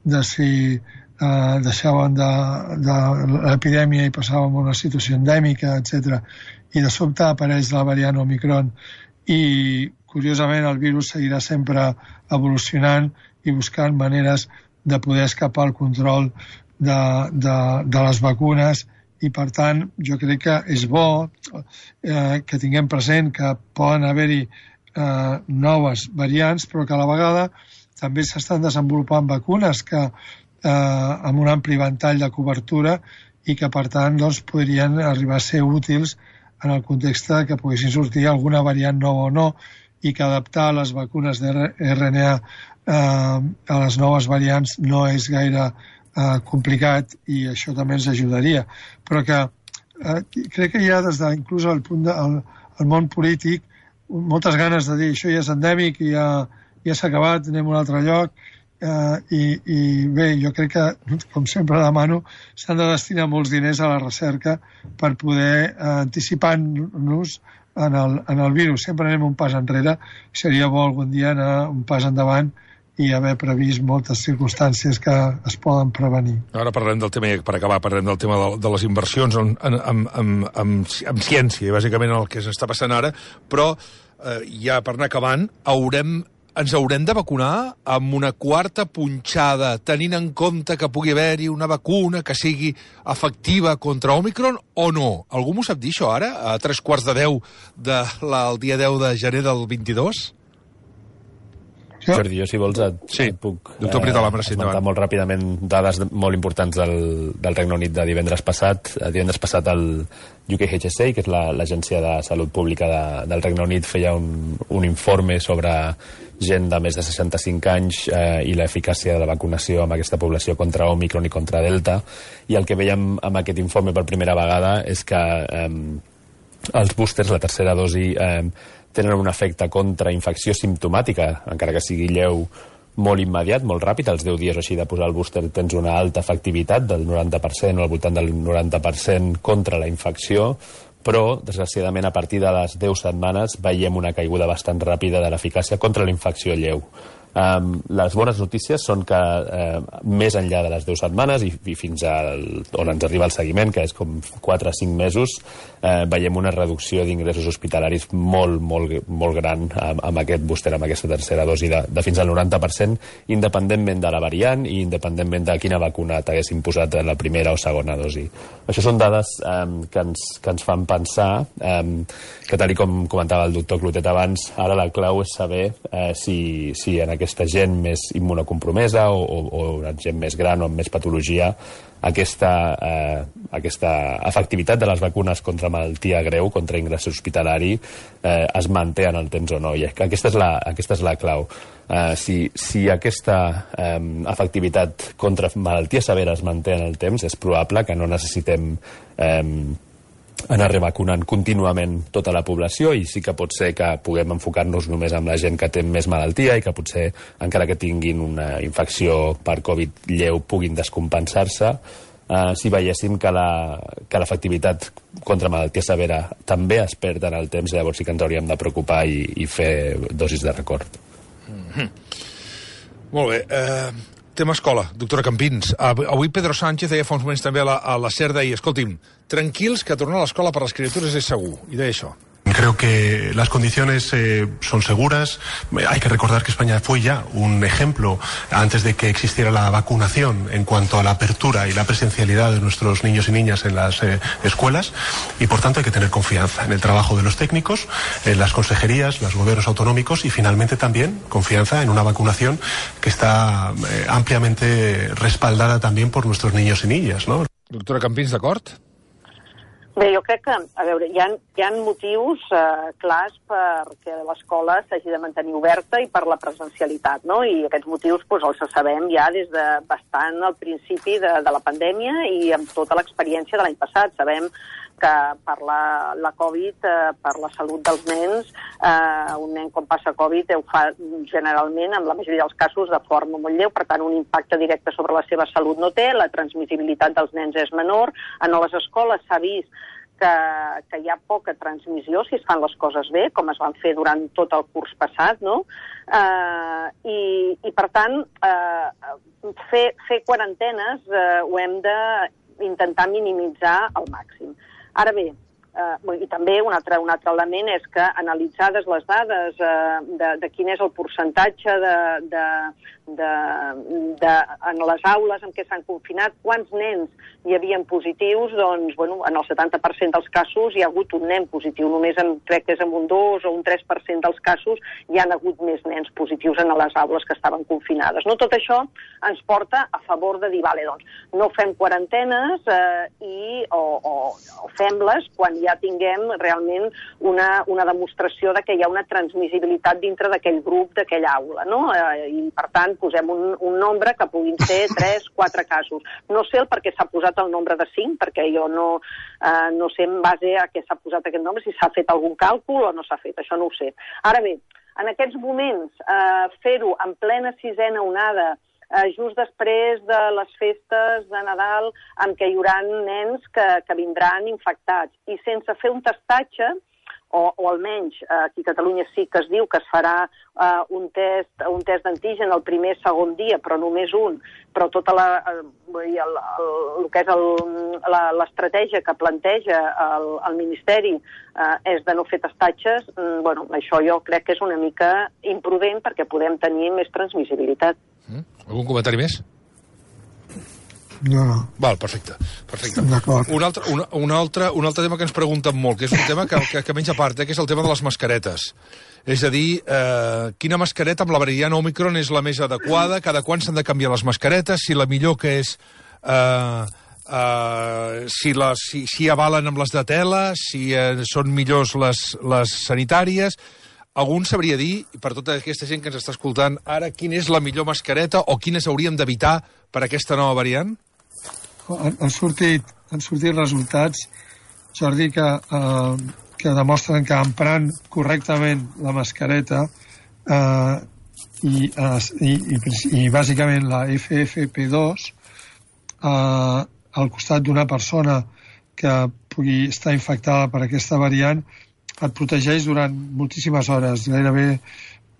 de si deixaven de l'epidèmia i passàvem a una situació endèmica, etc. I de sobte apareix la variant Omicron i, curiosament, el virus seguirà sempre evolucionant i buscant maneres de poder escapar al control de les vacunes. I, per tant, jo crec que és bo que tinguem present que poden haver-hi noves variants, però que a la vegada també s'estan desenvolupant vacunes que amb un ampli ventall de cobertura i que, per tant, podrien arribar a ser útils en el context que poguessin sortir alguna variant nova o no. i que adaptar les vacunes d'RNA a les noves variants no és gaire complicat i això també ens ajudaria. Però que crec que hi ha des de, inclús al punt del món polític, moltes ganes de dir això ja és endèmic i ja s'ha acabat, anem a un altre lloc, i bé, jo crec que, com sempre demano, s'han de destinar molts diners a la recerca per poder anticipar-nos en el virus. Sempre anem un pas enrere, seria bo algun dia anar un pas endavant i haver previst moltes circumstàncies que es poden prevenir. Ara parlem del tema, per acabar, parlem del tema de les inversions en ciència, i bàsicament el que s'està passant ara, però ja per anar acabant, ens haurem de vacunar amb una quarta punxada, tenint en compte que pugui haver-hi una vacuna que sigui efectiva contra Òmicron o no? Algú m'ho sap dir, això, ara? A 3:45 del dia 10 de gener del 22? Jordi, jo, si vols, et puc esmentar molt ràpidament dades molt importants del Regne Unit de divendres passat. Divendres passat el UKHSA, que és l'Agència de Salut Pública del Regne Unit, feia un informe sobre gent de més de 65 anys i l'eficàcia de la vacunació amb aquesta població contra Òmicron i contra Delta. I el que veiem amb aquest informe per primera vegada és que els boosters, la tercera dosi, tenen un efecte contra infecció simptomàtica, encara que sigui lleu, molt immediat, molt ràpid. Als 10 dies o així de posar el booster tens una alta efectivitat del 90% o al voltant del 90% contra la infecció, però, desgraciadament, a partir de les 10 setmanes veiem una caiguda bastant ràpida de l'eficàcia contra la infecció lleu. Les bones notícies són que més enllà de les 10 setmanes i fins on ens arriba el seguiment, que és com 4 o 5 mesos, veiem una reducció d'ingressos hospitalaris molt gran amb aquest booster, amb aquesta tercera dosi de fins al 90%, independentment de la variant i independentment de quina vacuna t'haguessin posat en la primera o segona dosi. Això són dades que ens fan pensar que, tal com comentava el doctor Clotet abans, ara la clau és saber si en aquesta gent més immunocompromesa o gent més gran o amb més patologia aquesta efectivitat de les vacunes contra malaltia greu, contra ingrés hospitalari, es manté en el temps o no. I aquesta és la clau. Si aquesta efectivitat contra malaltia severa es manté en el temps, és probable que no necessitem anar revacunant contínuament tota la població, i sí que pot ser que puguem enfocar-nos només amb la gent que té més malaltia i que potser, encara que tinguin una infecció per Covid lleu, puguin descompensar-se. Si veiéssim que l'efectivitat contra malaltia severa també es perd en el temps, llavors sí que ens hauríem de preocupar i fer dosis de record. Molt bé. Tema escola, doctora Campins. Avui Pedro Sánchez deia fa uns moments també a la SER, deia, escolti'm, tranquils, que tornar a l'escola per les criatures és segur. I deia això. Creo que las condiciones son seguras. Hay que recordar que España fue ya un ejemplo antes de que existiera la vacunación en cuanto a la apertura y la presencialidad de nuestros niños y niñas en las escuelas, y por tanto hay que tener confianza en el trabajo de los técnicos, en las consejerías, los gobiernos autonómicos, y finalmente también confianza en una vacunación que está ampliamente respaldada también por nuestros niños y niñas, ¿no? Doctora Campins, d'acord? Bé, jo crec que, a veure, hi ha motius clars perquè l'escola s'hagi de mantenir oberta i per la presencialitat, no? I aquests motius els sabem ja des de bastant al principi de la pandèmia i amb tota l'experiència de l'any passat. Sabem que per la Covid, per la salut dels nens, un nen quan passa Covid ho fa generalment, en la majoria dels casos, de forma molt lleu, per tant un impacte directe sobre la seva salut no té, la transmissibilitat dels nens és menor. En les escoles s'ha vist que hi ha poca transmissió si es fan les coses bé, com es van fer durant tot el curs passat, no? I per tant, fer quarantenes ho hem d'intentar minimitzar al màxim. Ara bé, i també un altre element és que analitzades les dades de quin és el percentatge en les aules en què s'han confinat, quants nens hi havien positius, doncs, en el 70% dels casos hi ha hagut un nen positiu, només crec que és en un 2 o un 3% dels casos hi han hagut més nens positius en les aules que estaven confinades. No, tot això ens porta a favor de dir, vale, doncs, no fem quarantenes o fem-les quan ja tinguem realment una demostració de que hi ha una transmissibilitat dintre d'aquell grup, d'aquella aula, no? I, per tant, posem un nombre que puguin ser 3, 4 casos. No sé el per què s'ha posat el nombre de 5, perquè jo no sé en base a què s'ha posat aquest nombre, si s'ha fet algun càlcul o no s'ha fet, això no ho sé. Ara bé, en aquests moments, fer-ho en plena 6a onada, just després de les festes de Nadal, en què hi haurà nens que vindran infectats, i sense fer un testatge, o almenys aquí a Catalunya sí que es diu que es farà un test d'antigen el primer, segon dia, però només un, però tota el que és l'estratègia que planteja el Ministeri és de no fer testatges, bueno, això jo crec que és una mica imprudent perquè podem tenir més transmissibilitat. Algun comentari més? No. Val, perfecte. D'acord. Un altre tema que ens pregunten molt, que és un tema que menys a part, que és el tema de les mascaretes. És a dir, quina mascareta amb la variant Òmicron és la més adequada, cada quan s'han de canviar les mascaretes, si la millor que és si avalen amb les de tela, si són millors les sanitàries. Algun sabria dir, per tota aquesta gent que ens està escoltant ara, quina és la millor mascareta o quines hauríem d'evitar per aquesta nova variant? Han sortit resultats, Jordi, que demostren que emprant correctament la mascareta i bàsicament la FFP2 al costat d'una persona que pugui estar infectada per aquesta variant et protegeix durant moltíssimes hores, gairebé,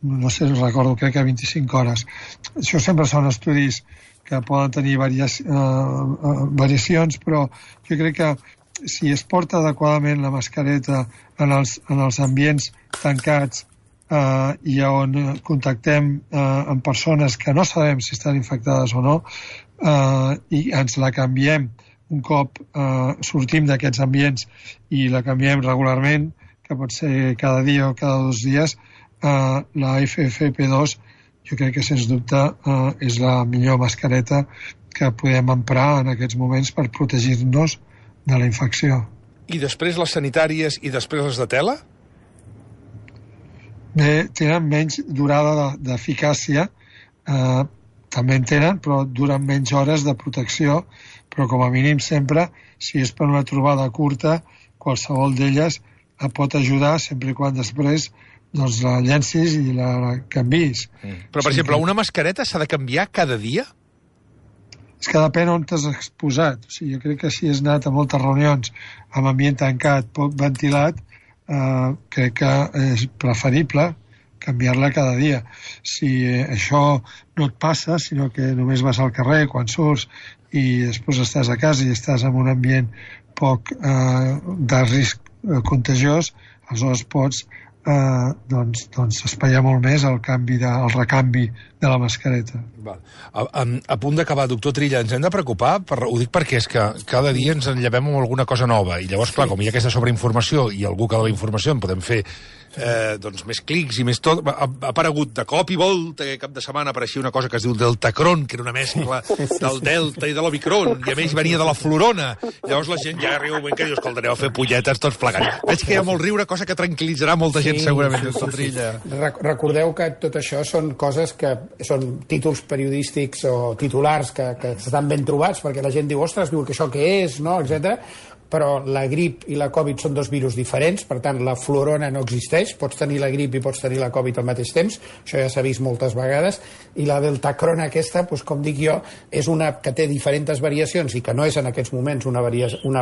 no sé, recordo, crec que 25 hores. Això sempre són estudis que poden tenir variacions, però jo crec que si es porta adequadament la mascareta en els ambients tancats i on contactem amb persones que no sabem si estan infectades o no, i ens la canviem un cop sortim d'aquests ambients i la canviem regularment, que pot ser cada dia o cada 2 dies, la FFP2 jo crec que sens dubte és la millor mascareta que podem emprar en aquests moments per protegir-nos de la infecció. I després les sanitàries i després les de tela? Bé, tenen menys durada d'eficàcia, també en tenen, però duren menys hores de protecció, però com a mínim sempre, si és per una trobada curta, qualsevol d'elles pot ajudar sempre i quan després doncs la llencis i la canvis. Però, per exemple, una mascareta s'ha de canviar cada dia? És que depèn on t'has exposat. O sigui, jo crec que si has anat a moltes reunions amb ambient tancat, poc ventilat, crec que és preferible canviar-la cada dia. Si això no et passa, sinó que només vas al carrer quan surts i després estàs a casa i estàs en un ambient poc de risc contagiós, aleshores pots espaiar molt més el recanvi de la mascareta. Val. A punt d'acabar, doctor Trilla, ens hem de preocupar? Ho dic perquè és que cada dia ens enllevem amb alguna cosa nova i llavors, clar, com hi ha aquesta sobreinformació i algú que la informació en podem fer més clics i més tot, ha aparegut de cop i volta que cap de setmana apareixia una cosa que es diu Deltacron, que era una mescla del Delta i de l'Omicron, i a més venia de la Florona. Llavors la gent ja arriba un moment que diu, escolta, aneu a fer polletes tots plegats. Veig que hi ha molt riure, cosa que tranquil·litzarà molta gent segurament, doctor Trilla. Recordeu que tot això són coses que són títols periodístics o titulars que estan ben trobats, perquè la gent diu, ostres, diu que això què és, no?, etcètera. Però la grip i la Covid són 2 virus diferents, per tant, la Florona no existeix, pots tenir la grip i pots tenir la Covid al mateix temps, això ja s'ha vist moltes vegades, i la Deltacron aquesta, doncs, com dic jo, és una que té diferents variacions i que no és en aquests moments una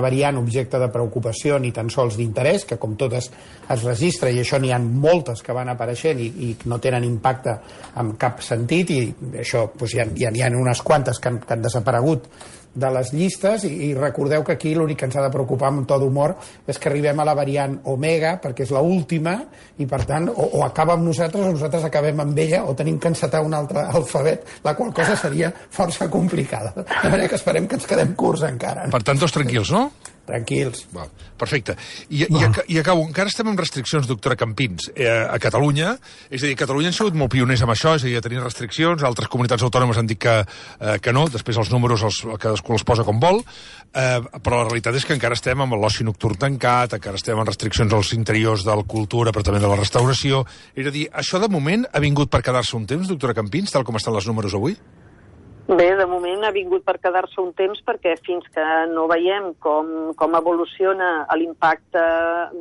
variant objecte de preocupació ni tan sols d'interès, que com totes es registra, i això n'hi ha moltes que van apareixent i no tenen impacte en cap sentit, i això doncs, hi ha unes quantes que han desaparegut de les llistes, i recordeu que aquí l'únic que ens ha de preocupar amb un to d'humor és que arribem a la variant Omega, perquè és l'última, i per tant o acaba amb nosaltres o nosaltres acabem amb ella, o tenim que encetar un altre alfabet, la qual cosa seria força complicada. De manera que esperem que ens quedem curts encara. Per tant, tots tranquils, no? Tranquils. Perfecte. I acabo. Encara estem amb restriccions, doctora Campins, a Catalunya. És a dir, Catalunya han sigut molt pioners amb això, és a dir, a tenir restriccions. Altres comunitats autònomes han dit que no. Després els números cadascú els posa com vol. Però la realitat és que encara estem amb l'oci nocturn tancat, encara estem amb restriccions als interiors de la cultura, però també de la restauració. És a dir, això de moment ha vingut per quedar-se un temps, doctora Campins, tal com estan els números avui? Bé, de moment ha vingut per quedar-se un temps perquè fins que no veiem com evoluciona l'impacte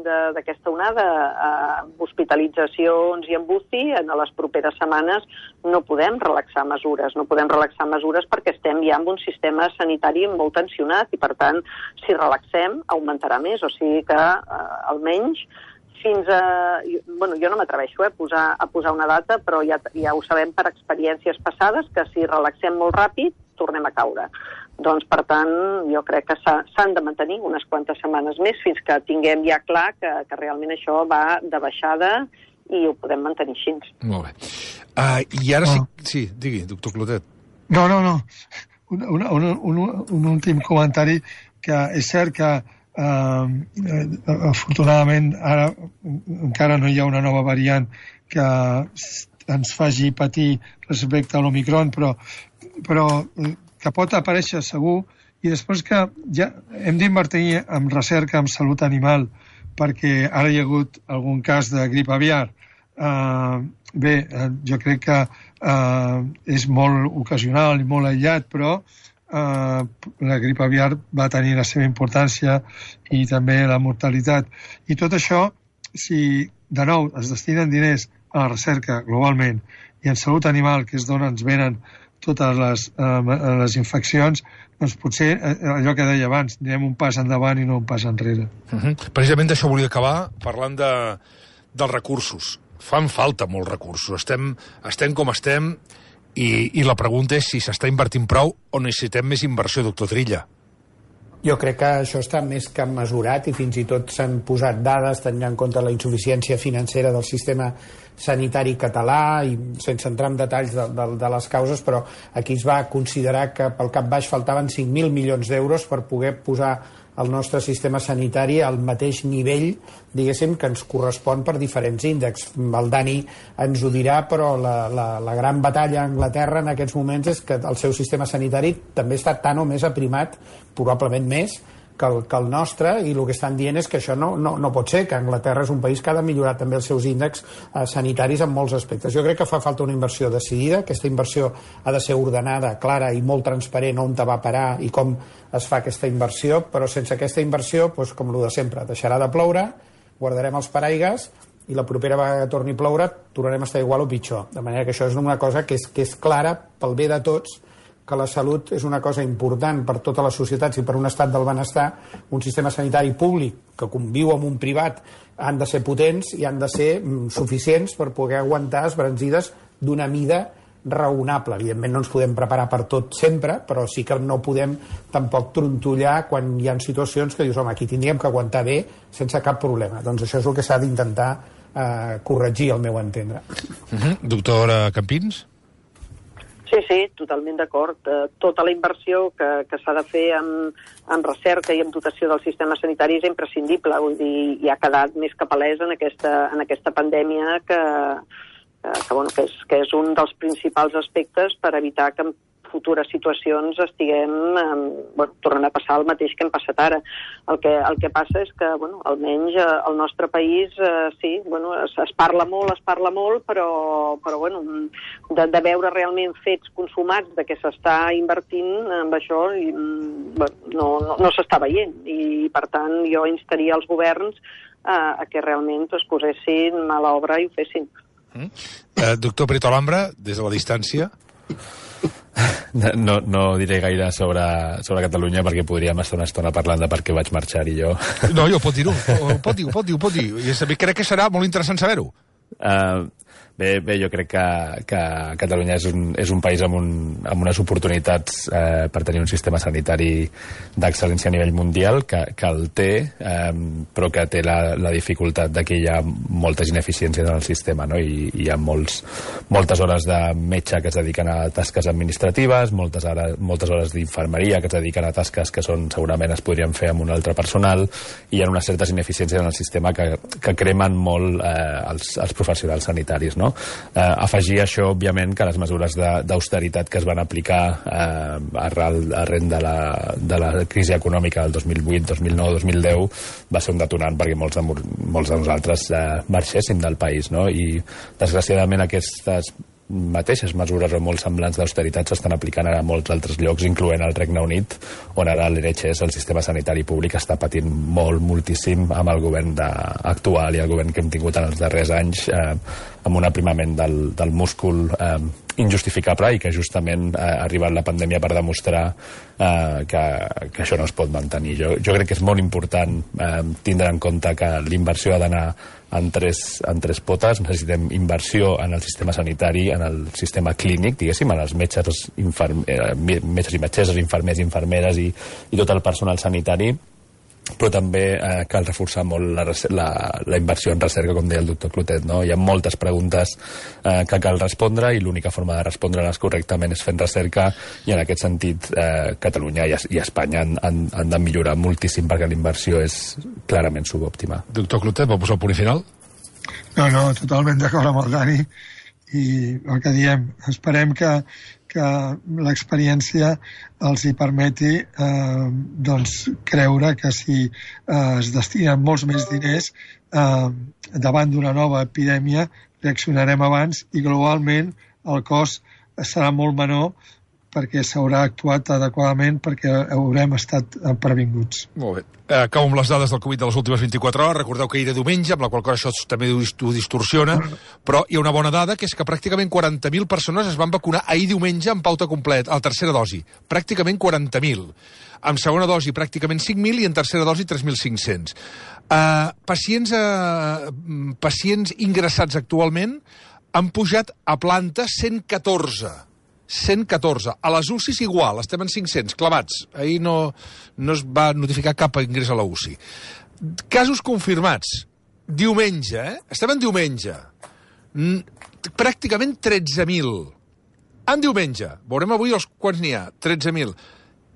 d'aquesta onada amb hospitalitzacions i amb UCI, en les properes setmanes no podem relaxar mesures. No podem relaxar mesures perquè estem ja en un sistema sanitari molt tensionat i, per tant, si relaxem, augmentarà més. O sigui que, almenys, fins a... Bueno, jo no m'atreveixo a posar una data, però ja ho sabem per experiències passades, que si relaxem molt ràpid, tornem a caure. Doncs, per tant, jo crec que s'han de mantenir unes quantes setmanes més fins que tinguem ja clar que realment això va de baixada i ho podem mantenir així. Molt bé. I ara sí... Sí, digui, doctor Clotet. No. Un últim comentari, que és cert que afortunadament ara encara no hi ha una nova variant que ens faci patir respecte a l'Omicron, però que pot aparèixer segur, i després que ja hem d'invertir en recerca en salut animal, perquè ara hi ha hagut algun cas de grip aviar. Jo crec que és molt ocasional i molt aïllat, però la grip aviar va tenir la seva importància i també la mortalitat. I tot això, si de nou es destinen diners a la recerca globalment i en salut animal, que és d'on ens venen totes les infeccions, doncs potser allò que deia abans, anirem un pas endavant i no un pas enrere. Precisament d'això volia acabar parlant dels recursos. Fan falta molts recursos. Estem com estem. I la pregunta és si s'està invertint prou o necessitem més inversió, doctor Trilla. Jo crec que això està més que mesurat i fins i tot s'han posat dades tenint en compte la insuficiència financera del sistema sanitari català, i sense entrar en detalls de les causes, però aquí es va considerar que pel cap baix faltaven 5.000 milions d'euros per poder posar el nostre sistema sanitari al mateix nivell, diguéssim, que ens correspon per diferents índexs. El Dani ens ho dirà, però la gran batalla a Anglaterra en aquests moments és que el seu sistema sanitari també està tan o més aprimat, probablement més, que el nostre, i el que estan dient és que això no pot ser, que Anglaterra és un país que ha de millorar també els seus índexs sanitaris en molts aspectes. Jo crec que fa falta una inversió decidida, aquesta inversió ha de ser ordenada, clara i molt transparent on va parar i com es fa aquesta inversió, però sense aquesta inversió, doncs, com el de sempre, deixarà de ploure, guardarem els paraigues i la propera vegada que torni a ploure tornarem a estar igual o pitjor. De manera que això és una cosa que és clara pel bé de tots, que la salut és una cosa important per totes les societats i per un estat del benestar. Un sistema sanitari públic que conviu amb un privat han de ser potents i han de ser suficients per poder aguantar esbranzides d'una mida raonable. Evidentment no ens podem preparar per tot sempre, però sí que no podem tampoc trontollar quan hi ha situacions que dius, home, aquí tindríem que aguantar bé sense cap problema. Doncs això és el que s'ha d'intentar corregir, al meu entendre. Doctora Campins? Sí, totalment d'acord. Tota la inversió que s'ha de fer en recerca i en dotació del sistema sanitari és imprescindible. Vull dir, i ha quedat més que palès en aquesta pandèmia que és un dels principals aspectes per evitar que en futures situacions estiguem tornant a passar el mateix que hem passat ara. El que passa és que, almenys al nostre país, es parla molt, però de veure realment fets consumats de què s'està invertint amb això, no s'està veient. I, per tant, jo instaria els governs a que realment es posessin mà a l'obra i ho fessin. Doctor Prieto Alhambra, des de la distància... No diré gaire sobre Catalunya perquè podríem estar una estona parlant de per què vaig marxar i jo. No, jo pot dir-ho. Pot dir. I crec que serà molt interessant saber-ho. Bé, jo crec que Catalunya és un país amb unes oportunitats per tenir un sistema sanitari d'excel·lència a nivell mundial, que el té, però que té la dificultat de que hi ha moltes ineficiències en el sistema, no? I hi ha moltes hores de metge que es dediquen a tasques administratives, moltes hores d'infermeria que es dediquen a tasques que segurament es podrien fer amb un altre personal, i hi ha unes certes ineficiències en el sistema que cremen molt els professionals sanitaris, no? Afegir això, òbviament, que les mesures d'austeritat que es van aplicar arran de la crisi econòmica del 2008, 2009, 2010 va ser un detonant perquè molts de nosaltres marxéssim del país, no? I desgraciadament aquestes mateixes mesures o molt semblants d'austeritat s'estan aplicant ara a molts altres llocs, incloent el Regne Unit, on ara l'NHS, el sistema sanitari públic, està patint moltíssim amb el govern actual i el govern que hem tingut en els darrers anys, amb un aprimament del múscul injustificable, i que justament ha arribat la pandèmia per demostrar que això no es pot mantenir. Jo crec que és molt important tindre en compte que l'inversió ha d'anar en tres potes. Necessitem inversió en el sistema sanitari, en el sistema clínic, diguéssim, en els metges i metgesses, infermers i infermeres i tot el personal sanitari, però també cal reforçar molt la inversió en recerca, com deia el doctor Clotet, no? Hi ha moltes preguntes que cal respondre, i l'única forma de respondre-les correctament és fent recerca, i en aquest sentit Catalunya i Espanya han de millorar moltíssim, perquè la inversió és clarament subòptima. Doctor Clotet, vol posar el punt final? No, totalment d'acord amb el Dani, i el que diem, esperem que l'experiència els hi permeti creure que si es destinen molts més diners davant d'una nova epidèmia, reaccionarem abans, i globalment el cost serà molt menor perquè s'haurà actuat adequadament, perquè haurem estat previnguts. Molt bé. Acabo amb les dades del Covid de les últimes 24 hores. Recordeu que era diumenge, amb la qual cosa això també ho distorsiona, però hi ha una bona dada, que és que pràcticament 40.000 persones es van vacunar ahir diumenge amb pauta completa, a la tercera dosi. Pràcticament 40.000. Amb segona dosi pràcticament 5.000 i en tercera dosi 3.500. Pacients ingressats actualment han pujat a planta 114. A les UCIs igual, estem en 500, clavats. Ahir no es va notificar cap ingrés a la UCI. Casos confirmats. Diumenge, Estem en diumenge. Pràcticament 13.000. En diumenge. Veurem avui quants n'hi ha. 13.000.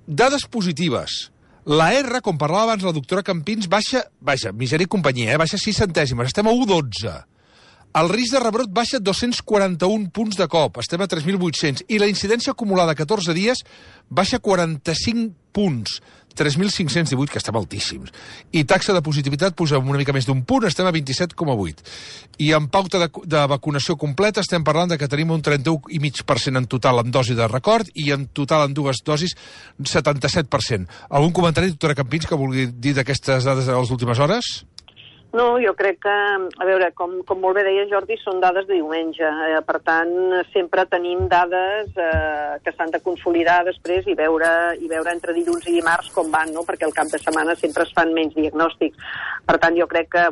Dades positives. La R, com parlava abans la doctora Campins, baixa, misèria i companyia, baixa 6 centèsimes. Estem a 1,12. El risc de rebrot baixa 241 punts de cop, estem a 3.800, i la incidència acumulada a 14 dies baixa 45 punts, 3.518, que estem altíssims. I taxa de positivitat puja una mica més d'un punt, estem a 27,8. I en pauta de vacunació completa estem parlant de que tenim un 31,5% en total en dosi de record, i en total en dues dosis 77%. Algun comentari, doctora Campins, que vulgui dir d'aquestes dades de les últimes hores? No, jo crec que, a veure, com molt bé deia Jordi, són dades de diumenge. Per tant, sempre tenim dades que s'han de consolidar després i veure entre dilluns i dimarts com van, no? Perquè al cap de setmana sempre es fan menys diagnòstics. Per tant, jo crec que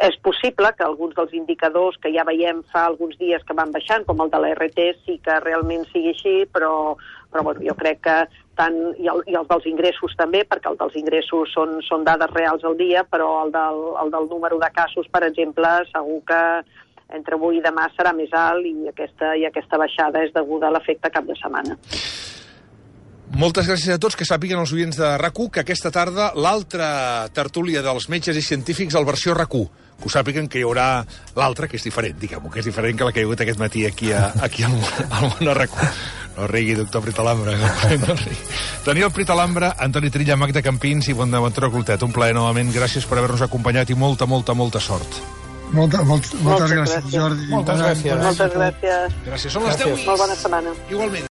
és possible que alguns dels indicadors que ja veiem fa alguns dies que van baixant, com el de la RT, sí que realment sigui així, però jo crec que i els dels ingressos també, perquè els dels ingressos són dades reals al dia, però el del número de casos, per exemple, segur que entre avui i demà serà més alt, i aquesta baixada és deguda a l'efecte cap de setmana. Moltes gràcies a tots. Que sàpiguen els oients de RAC1 que aquesta tarda l'altra tertúlia dels metges i científics al versió RAC1. Que ho sàpiguen que hi haurà l'altra, que és diferent, diguem-ho, que és diferent que la que hi ha hagut aquest matí aquí al món RAC1. No rigui, doctor Pritalambra. No rigui. Daniel Pritalambra, Antoni Trilla, Magda Campins i Bonaventura Clotet. Un plaer novament. Gràcies per haver-nos acompanyat i molta sort. Moltes gràcies, Jordi. Moltes gràcies. Moltes gràcies. Gràcies. Són les 10. Molt bona setmana. Igualment.